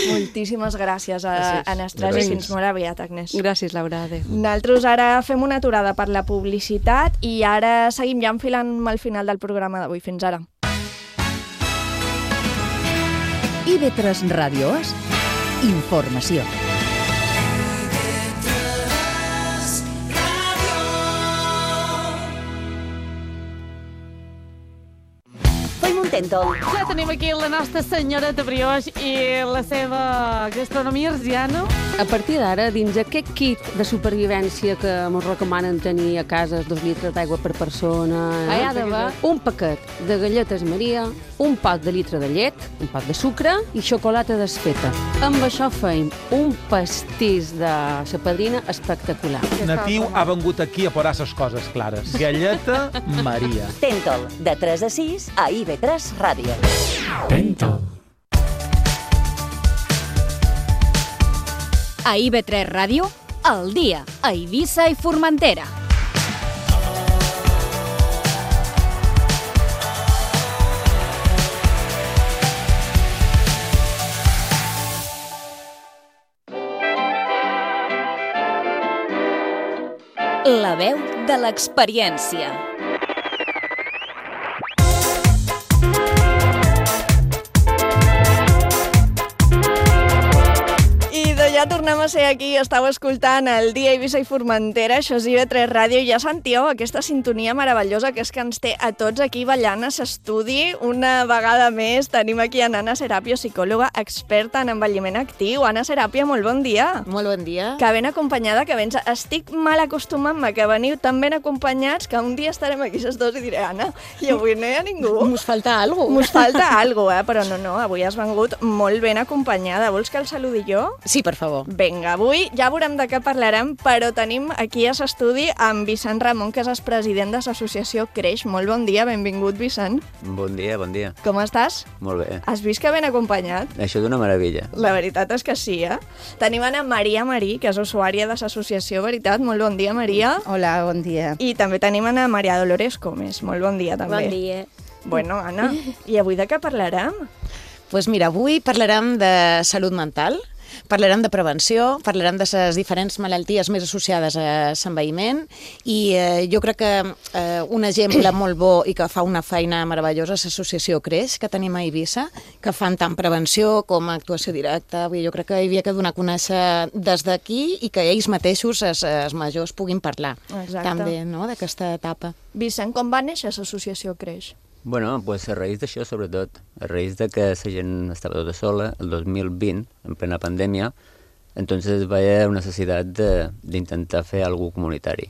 Moltíssimes gràcies a, a Nestres i fins molt aviat, Agnès. Gràcies, Laura. Adéu. Nosaltres ara fem una aturada per la publicitat i ara seguim ja enfilant al final del programa d'avui. Fins ara. I ve tres Ràdio és informació. Tentol. Ja tenim aquí la nostra senyora de brioix i la seva gastronomia arsiana. A partir d'ara, dins aquest kit de supervivència que ens recomanen tenir a casa, dos litres d'aigua per persona, hi ha d'haver un paquet de galletes Maria, un pot de litre de llet, un pot de sucre i xocolata desfeta. Amb això feim un pastís de sa padrina espectacular. Natiu ha vengut aquí a posar les coses clares. Galleta Maria. Tentol, de tres a sis a I V tres Ràdio. Tentol. A I V tres Ràdio, al dia, a Eivissa i Formentera. La veu de l'experiència. Ja tornem a ser aquí, estàu escoltant el dia Eivissa i Formentera, això és I V tres Ràdio, i ja sentíeu aquesta sintonia meravellosa que és que ens té a tots aquí ballant a l'estudi. Una vegada més tenim aquí a Anna Serapio, psicòloga experta en envelliment actiu. Anna Serapio, molt bon dia. Molt bon dia. Que ben acompanyada, que vens. Estic mal acostumant-me que veniu tan ben acompanyats que un dia estarem aquí les dos i diré, Anna, i avui no hi ha ningú. Mos falta algo. Mos falta algo, eh? Però no, no, avui has vengut molt ben acompanyada. Vols que el saludi jo? Sí, per favor. Vinga, avui ja veurem de què parlarem, però tenim aquí a l'estudi amb Vicent Ramon, que és el president de l'associació Creix. Molt bon dia, benvingut, Vicent. Bon dia, bon dia. Com estàs? Molt bé. Has vist que ben acompanyat? Això és una meravella. La veritat és que sí, eh? Tenim Ana Maria Marí, que és usuària de l'associació Veritat. Molt bon dia, Maria. Hola, bon dia. I també tenim Ana Maria Dolores Comes. Molt bon dia, també. Bon dia. Bueno, Anna, i avui de què parlarem? Doncs pues mira, avui parlarem de salut mental, parlarem de prevenció, parlarem de les diferents malalties més associades a l'envelliment i eh, jo crec que eh, un exemple molt bo i que fa una feina meravellosa és l'associació Creix, que tenim a Eivissa, que fan tant prevenció com actuació directa. Vull dir, jo crec que hi havia que donar a conèixer des d'aquí i que ells mateixos, els, els majors, puguin parlar. Exacte. També, no?, d'aquesta etapa. Vicent, com va néixer l'associació Creix? Bueno, pues a raïs d'això, sobretot, a raïs de que la gent estava tota sola, el dos mil vint, en plena pandèmia, entonces va haver una necessitat d'intentar fer alguna comunitari,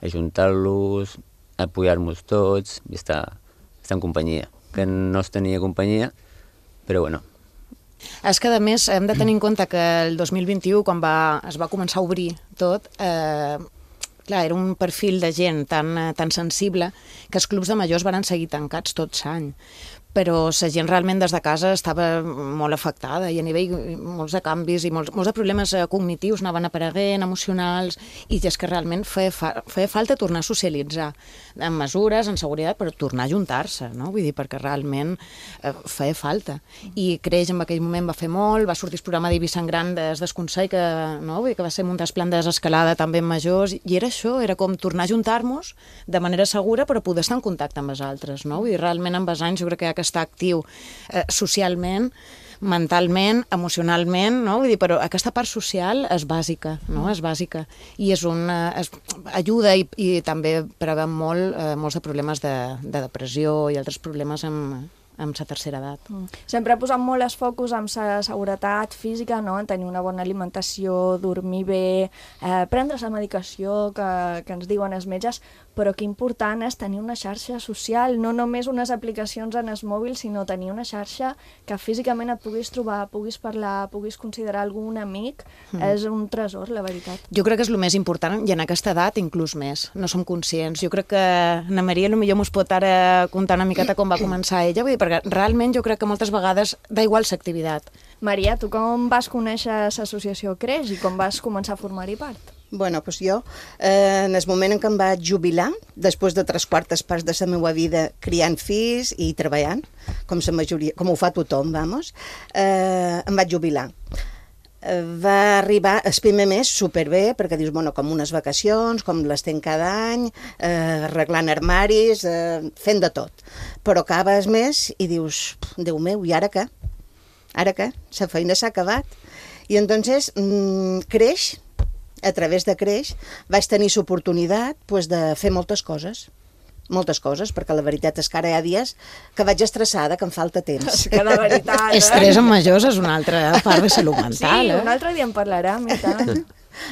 ajuntar-los, apoyar-nos tots i estar, estar en companyia, que no es tenia companyia, però bueno. És que, a més, hem de tenir en compte que el dos mil vint-i-u, quan va, es va començar a obrir tot, eh, clar, era un perfil de gent tan, tan sensible que els clubs de majors van seguir tancats tot l'any. però la gent realment des de casa estava molt afectada i a nivell molts de canvis i molts, molts de problemes cognitius anaven apareguent, emocionals, i és que realment feia, fa, feia falta tornar a socialitzar, amb mesures, en seguretat, però tornar a juntar-se, no? Vull dir, perquè realment eh, feia falta. I Creix en aquell moment va fer molt, va sortir el programa d'Eivissa en Gran des del Consell, que, no? Vull dir, que va ser un desplan de desescalada també en majors, i era això, era com tornar a juntar-nos de manera segura, però poder estar en contacte amb els altres, no? Vull dir, realment amb els anys jo crec que hi ha que estar actiu eh, socialment, mentalment, emocionalment, no? Vull dir, però aquesta part social és bàsica, no? És bàsica. I és una, és, ajuda i, i també preveu molt eh, molts de problemes de, de depressió i altres problemes amb, amb la tercera edat. Mm. Sempre posant molt els focus amb la seguretat física, no? En tenir una bona alimentació, dormir bé, eh, prendre la medicació que, que ens diuen els metges, però que important és tenir una xarxa social, no només unes aplicacions en el mòbil, sinó tenir una xarxa que físicament et puguis trobar, puguis parlar, puguis considerar algun amic, mm. és un tresor, la veritat. Jo crec que és el més important, i en aquesta edat inclús més, no som conscients. Jo crec que Ana Maria potser mos pot ara contar una miqueta com va començar ella, vull dir, perquè realment jo crec que moltes vegades da igual l'activitat. Maria, tu com vas conèixer l'associació Creix i com vas començar a formar-hi part? Bueno, doncs jo, eh, en el moment en què em vaig jubilar, després de tres quartes parts de la meva vida criant fills i treballant, com, la majoria, com ho fa tothom, vamos, eh, em vaig jubilar. Eh, va arribar el primer mes superbé, perquè dius, bueno, com unes vacacions, com les tenc cada any, eh, arreglant armaris, eh, fent de tot. Però acabes mes i dius, Déu meu, i ara què? Ara què? La feina s'ha acabat. I entonces mmm, Creix, a través de Creix, vaig tenir l'oportunitat pues, de fer moltes coses. Moltes coses, perquè la veritat és que ara hi ha dies que vaig estressada, que em falta temps. És que la veritat, eh? Estrès en majors és una altra part de salut mental, sí, eh? un altre dia en parlarem, i tant.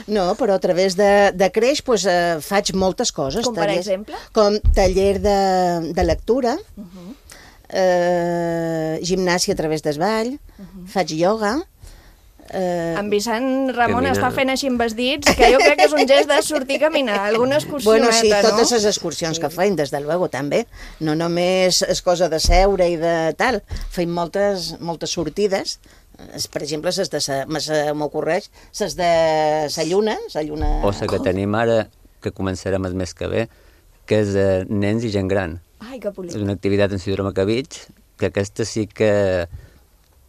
No, però a través de, de Creix pues, eh, faig moltes coses. Com per tallers, exemple? Com taller de, de lectura, Uh -huh. eh, gimnàsia a través del ball, uh -huh. faig ioga. Eh, en Vicent Ramon caminar. Està fent així amb els dits, que jo crec que és un gest de sortir a caminar, alguna excursioneta, bueno, sí, no? totes les excursions sí. que feim, des de luego, també. No només és cosa de seure i de tal. Feim moltes, moltes sortides. Per exemple, ses de sa, m'ocorreix, ses de la lluna, la lluna... O la que tenim ara, que començarem el mes que ve, que és de nens i gent gran. Ai, que bonic. És una activitat en síndrome Cabig, que aquesta sí que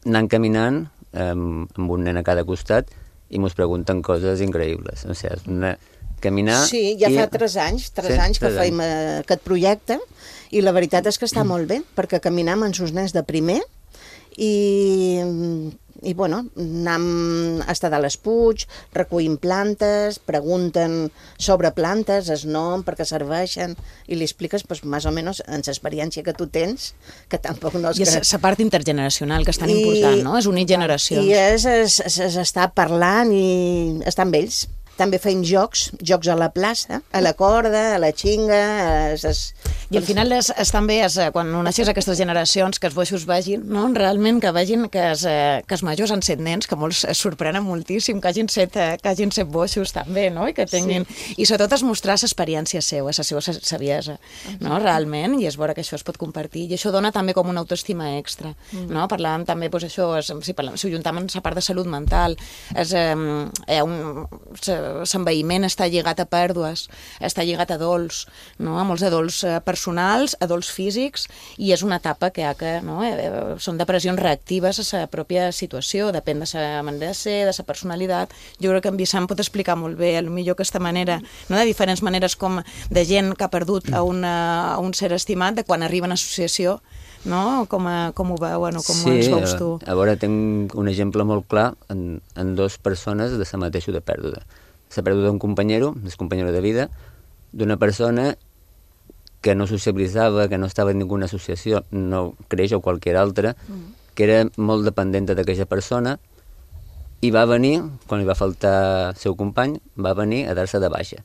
anant caminant, amb, amb un nen a cada costat, i mos pregunten coses increïbles. O sigui, és una... caminar... Sí, ja i... fa tres anys, tres sí, anys que tres feim anys. aquest projecte, i la veritat és que està molt bé, perquè caminam amb els nens de primer, i, i bueno, anem a estar de les Puig, recollim plantes, pregunten sobre plantes, el nom, per què serveixen, i li expliques, pues, més o menys, en l'experiència que tu tens, que tampoc no és I és que... la part intergeneracional, que és tan I, important, no? És unir generacions. I és, és, és, és estar parlant i estar amb ells. També feim jocs, jocs a la plaça, a la corda, a la xinga... Es, es... I al final és, és també, és, quan uneixes aquestes generacions, que els boixos vegin, no? Realment que vegin que, és, que els majors han set nens, que molts es sorprenen moltíssim, que hagin set, que hagin set boixos també, no? I que tinguin... Sí. I sobretot és mostrar l'experiència seva, la seva saviesa, no? Realment, i és veure que això es pot compartir. I això dona també com una autoestima extra, mm. no? Parlàvem també, doncs això, és, si, parlem, si ho juntem amb la part de salut mental, és... Eh, hi ha un... l'enveïment està lligat a pèrdues, està lligat a dols, no? A molts de dols personals, a dols físics, i és una etapa que, ha que no? eh, són depressions reactives a la pròpia situació, depèn de la manera de ser, de la personalitat. Jo crec que en Vicent pot explicar molt bé, potser aquesta manera, no? De diferents maneres com de gent que ha perdut a, una, a un ser estimat, de quan arriba a una associació, no? Com, a, com ho veuen o com sí, els veus tu? A veure, tinc un exemple molt clar en, en dues persones de la mateixa de pèrdua. La pèrdua d'un companyero, d'un companyero de vida, d'una persona que no socialitzava, que no estava en ninguna associació, no Creix o qualsevol altra, mm. que era molt dependent d'aquella persona, i va venir, quan li va faltar el seu company, va venir a dar-se de baixa.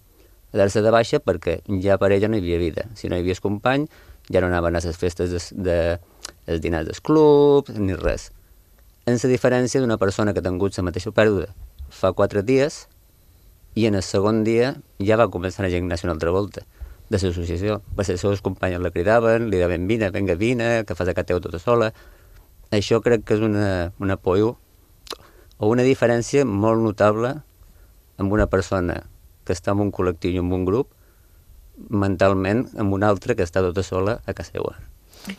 A dar-se de baixa perquè ja per ella no hi havia vida. Si no hi havia el company, ja no anaven a les festes de, de, dels dinars dels clubs, ni res. En la diferència d'una persona que ha tingut la mateixa pèrdua fa quatre dies, i en el segon dia ja va començar a anar a gimnàsia una altra volta. de l'associació. Les seves companyes la cridaven, li deien vine, vinga, vine, que fas a casa teu tota sola. Això crec que és una, un apoyo o una diferència molt notable amb una persona que està en un col·lectiu i en un grup, mentalment amb una altra que està tota sola a casa seva.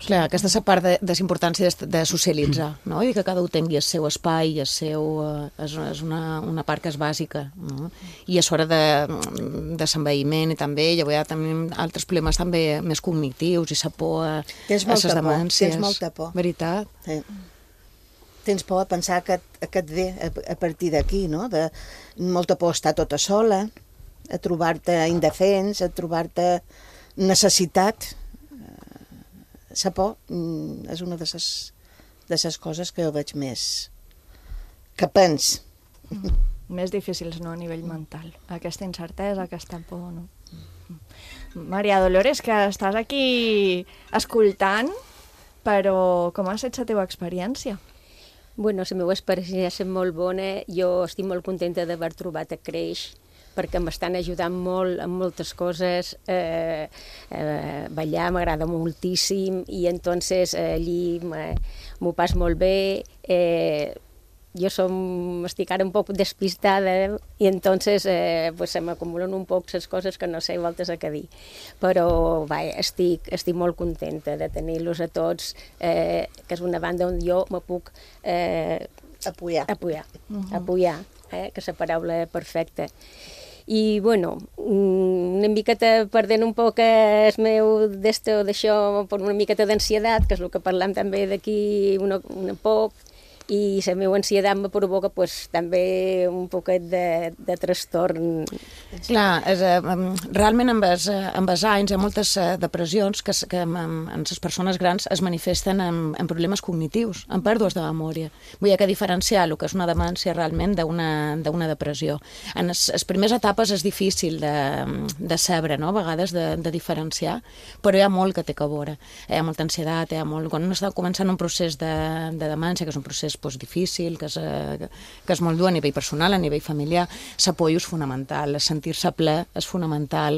Clar, aquesta és la part de, de la importància de, de socialitzar, no? I que cada un tingui el seu espai, el seu, eh, és, és una, una part que és bàsica, no? I és hora de, de l'envelliment i també, ja veurà, també altres problemes també més cognitius i la por a, a les demències. Tens molta por. Veritat? Sí. Tens por a pensar que, que et ve a, a partir d'aquí, no? De molta por a estar tota sola, a trobar-te indefens, a trobar-te necessitat. La por és una de les, de les coses que jo veig més que pens. Mm. Més difícils, no?, a nivell mental. Aquesta incertesa, aquesta por, no? Mm. Maria Dolores, que estàs aquí escoltant, però com ha estat la teva experiència? Bueno, la meva experiència ha estat molt bona. Jo estic molt contenta d'haver trobat a Creix, perquè m'estan ajudant molt en moltes coses. Eh, eh, ballar m'agrada moltíssim i entonces eh, allí m'ho pas molt bé. Eh, jo som, estic ara un poc despistada i entonces eh, pues, se m'acumulen un poc les coses que no sé voltes a què dir. Però va, estic, estic molt contenta de tenir-los a tots, eh, que és una banda on jo me puc eh, apoyar, apoyar, uh-huh. apoyar eh, que és la paraula perfecta. I, bueno, una miqueta perdent un poc el meu d'esto d'això per una miqueta d'ansietat, que és el que parlam també d'aquí una, una poc, i la meva ansietat me provoca pues, també un poquet de, de trastorn. Clar, és, eh, realment amb els, amb els anys hi ha moltes depressions que, que en, en les persones grans es manifesten en, en problemes cognitius, en pèrdues de memòria. Vull dir que diferenciar el que és una demència realment d'una depressió. En les, les primeres etapes és difícil de, de saber, no? A vegades de, de diferenciar, però hi ha molt que té que veure. Hi ha molta ansietat, hi ha molt... Quan un està començant un procés de, de demència, que és un procés pues, difícil, que és, que és molt dur a nivell personal, a nivell familiar, l'apoyo és fonamental, sentir-se ple és fonamental,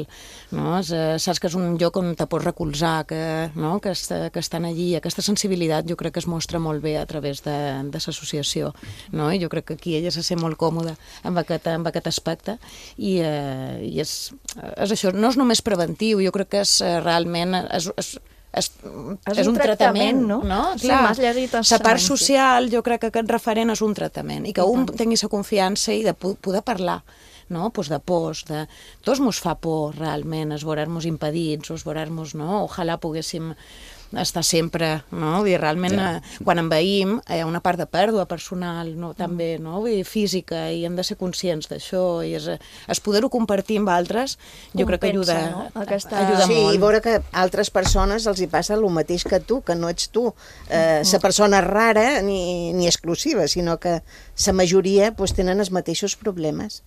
no? És, saps que és un lloc on te pots recolzar, que, no? que, est, que estan allí, aquesta sensibilitat jo crec que es mostra molt bé a través de, de l'associació, no? I jo crec que aquí ella se sent molt còmoda amb aquest, amb aquest aspecte i, eh, i és, és això, no és només preventiu, jo crec que és realment... És, és, És, és, és un, un tractament, tractament, no? no? Sí, Clar, m'has llegit la part social, jo crec que aquest referent és un tractament i que I un tant. tingui la confiança i de poder parlar, no? Pues de pors, de... Tots mos fa por, realment, es veure-nos impedits, o es veure-nos, no? Ojalà poguéssim estar sempre, no? Vull dir, realment, ja. eh, quan envaïm, hi ha una part de pèrdua personal, no? També, no? Vull dir, física, i hem de ser conscients d'això, i és, es poder-ho compartir amb altres, jo crec que ajuda, no? Aquesta... ajuda sí, molt. Sí, i veure que a altres persones els hi passa el mateix que tu, que no ets tu, eh, la persona rara ni, ni exclusiva, sinó que la majoria pues, tenen els mateixos problemes.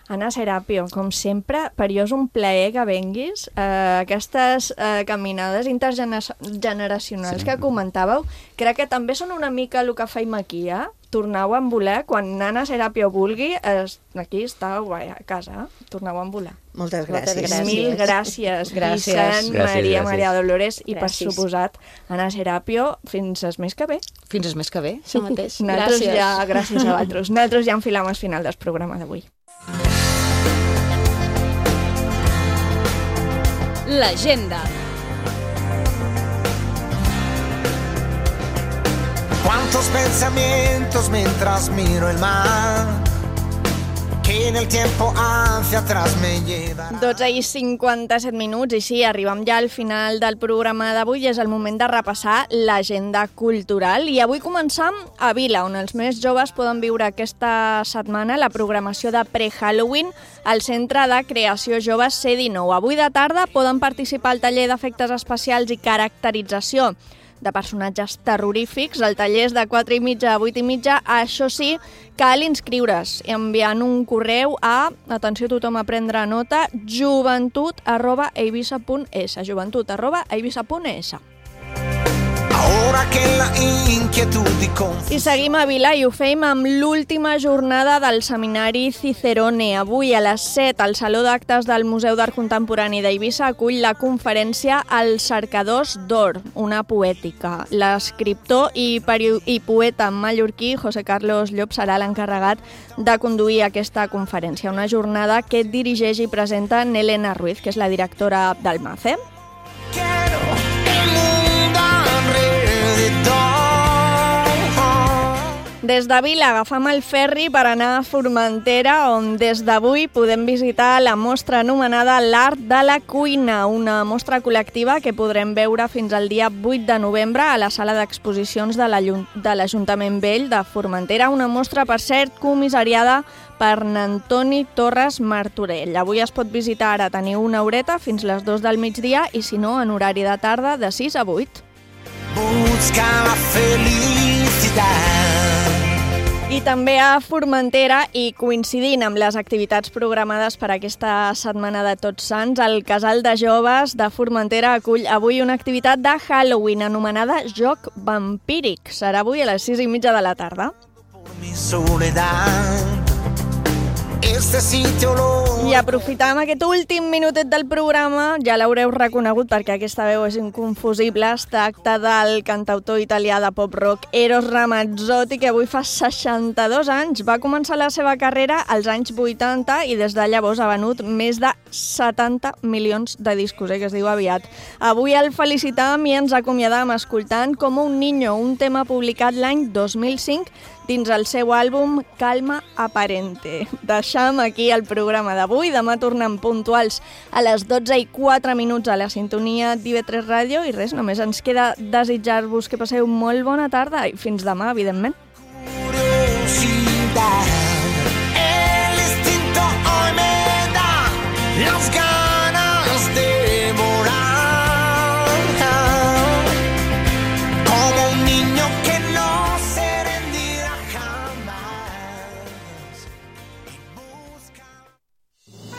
Anna Serapio, com sempre, per jo és un plaer que venguis. Eh, aquestes eh, caminades intergeneracionals sí. que comentàveu, crec que també són una mica el que feim aquí, eh? Torneu a voler, quan Anna Serapio vulgui, es, aquí està a casa, eh? Torneu a voler. Moltes gràcies. Moltes gràcies. Mil gràcies, gràcies. Vicent, gràcies, Maria, gràcies. Maria Dolores i, Gràcies. per suposat, Anna Serapio, fins el mes que ve. Fins el mes que ve, això mateix. Nosaltres Gràcies. ja, gràcies a vosaltres. Nosaltres ja enfilam al final del programa d'avui. L'agenda. Cuántos pensamientos mientras miro el mar, que en el tiempo hacia atrás me lleva. dotze i cinquanta-set minuts, i sí, arribem ja al final del programa d'avui i és el moment de repassar l'agenda cultural. I avui començam a Vila, on els més joves poden viure aquesta setmana la programació de pre-Halloween al Centre de Creació Joves C dinou. Avui de tarda poden participar al taller d'efectes especials i caracterització de personatges terrorífics. El taller és de quatre i mitja a vuit i mitja. Això sí, cal inscriure's enviant un correu a, atenció tothom a prendre nota, joventut arroba eivissa punt es, joventut arroba eivissa punt es. Ahora que la inquietud y confusión. I seguim a Vila i ho fem amb l'última jornada del Seminari Cicerone. Avui a les set al Saló d'Actes del Museu d'Art Contemporani d'Eivissa acull la conferència Els cercadors d'or, una poètica. L'escriptor i, i poeta mallorquí José Carlos Llop serà l'encarregat de conduir aquesta conferència, una jornada que dirigeix i presenta Nelena Ruiz, que és la directora del M A C E. Des de Vila agafam el ferri per anar a Formentera, on des d'avui podem visitar la mostra anomenada L'Art de la Cuina, una mostra col·lectiva que podrem veure fins al dia vuit de novembre a la sala d'exposicions de l'Ajuntament Vell de Formentera, una mostra, per cert, comissariada per Antoni Torres Martorell. Avui es pot visitar, ara teniu una horeta fins les dues del migdia i, si no, en horari de tarda de sis a vuit. Busca la felicidad. I també a Formentera, i coincidint amb les activitats programades per aquesta setmana de Tots Sants, el Casal de Joves de Formentera acull avui una activitat de Halloween anomenada Joc Vampíric. Serà avui a les sis i mitja de la tarda. Mi soledad. Este sitio lo... I aprofitam aquest últim minutet del programa, ja l'haureu reconegut perquè aquesta veu és inconfusible, es tracta del cantautor italià de pop-rock Eros Ramazzotti, que avui fa seixanta-dos anys. Va començar la seva carrera als anys vuitanta i des de llavors ha venut més de setanta milions de discos, eh, que es diu aviat. Avui el felicitam i ens acomiadam escoltant Com un niño, un tema publicat l'any dos mil cinc dins el seu àlbum Calma Aparente. Deixam aquí el programa d'avui. Demà tornem puntuals a les dotze i quatre minuts a la sintonia d'I V tres Ràdio i res, només ens queda desitjar-vos que passeu molt bona tarda i fins demà, evidentment.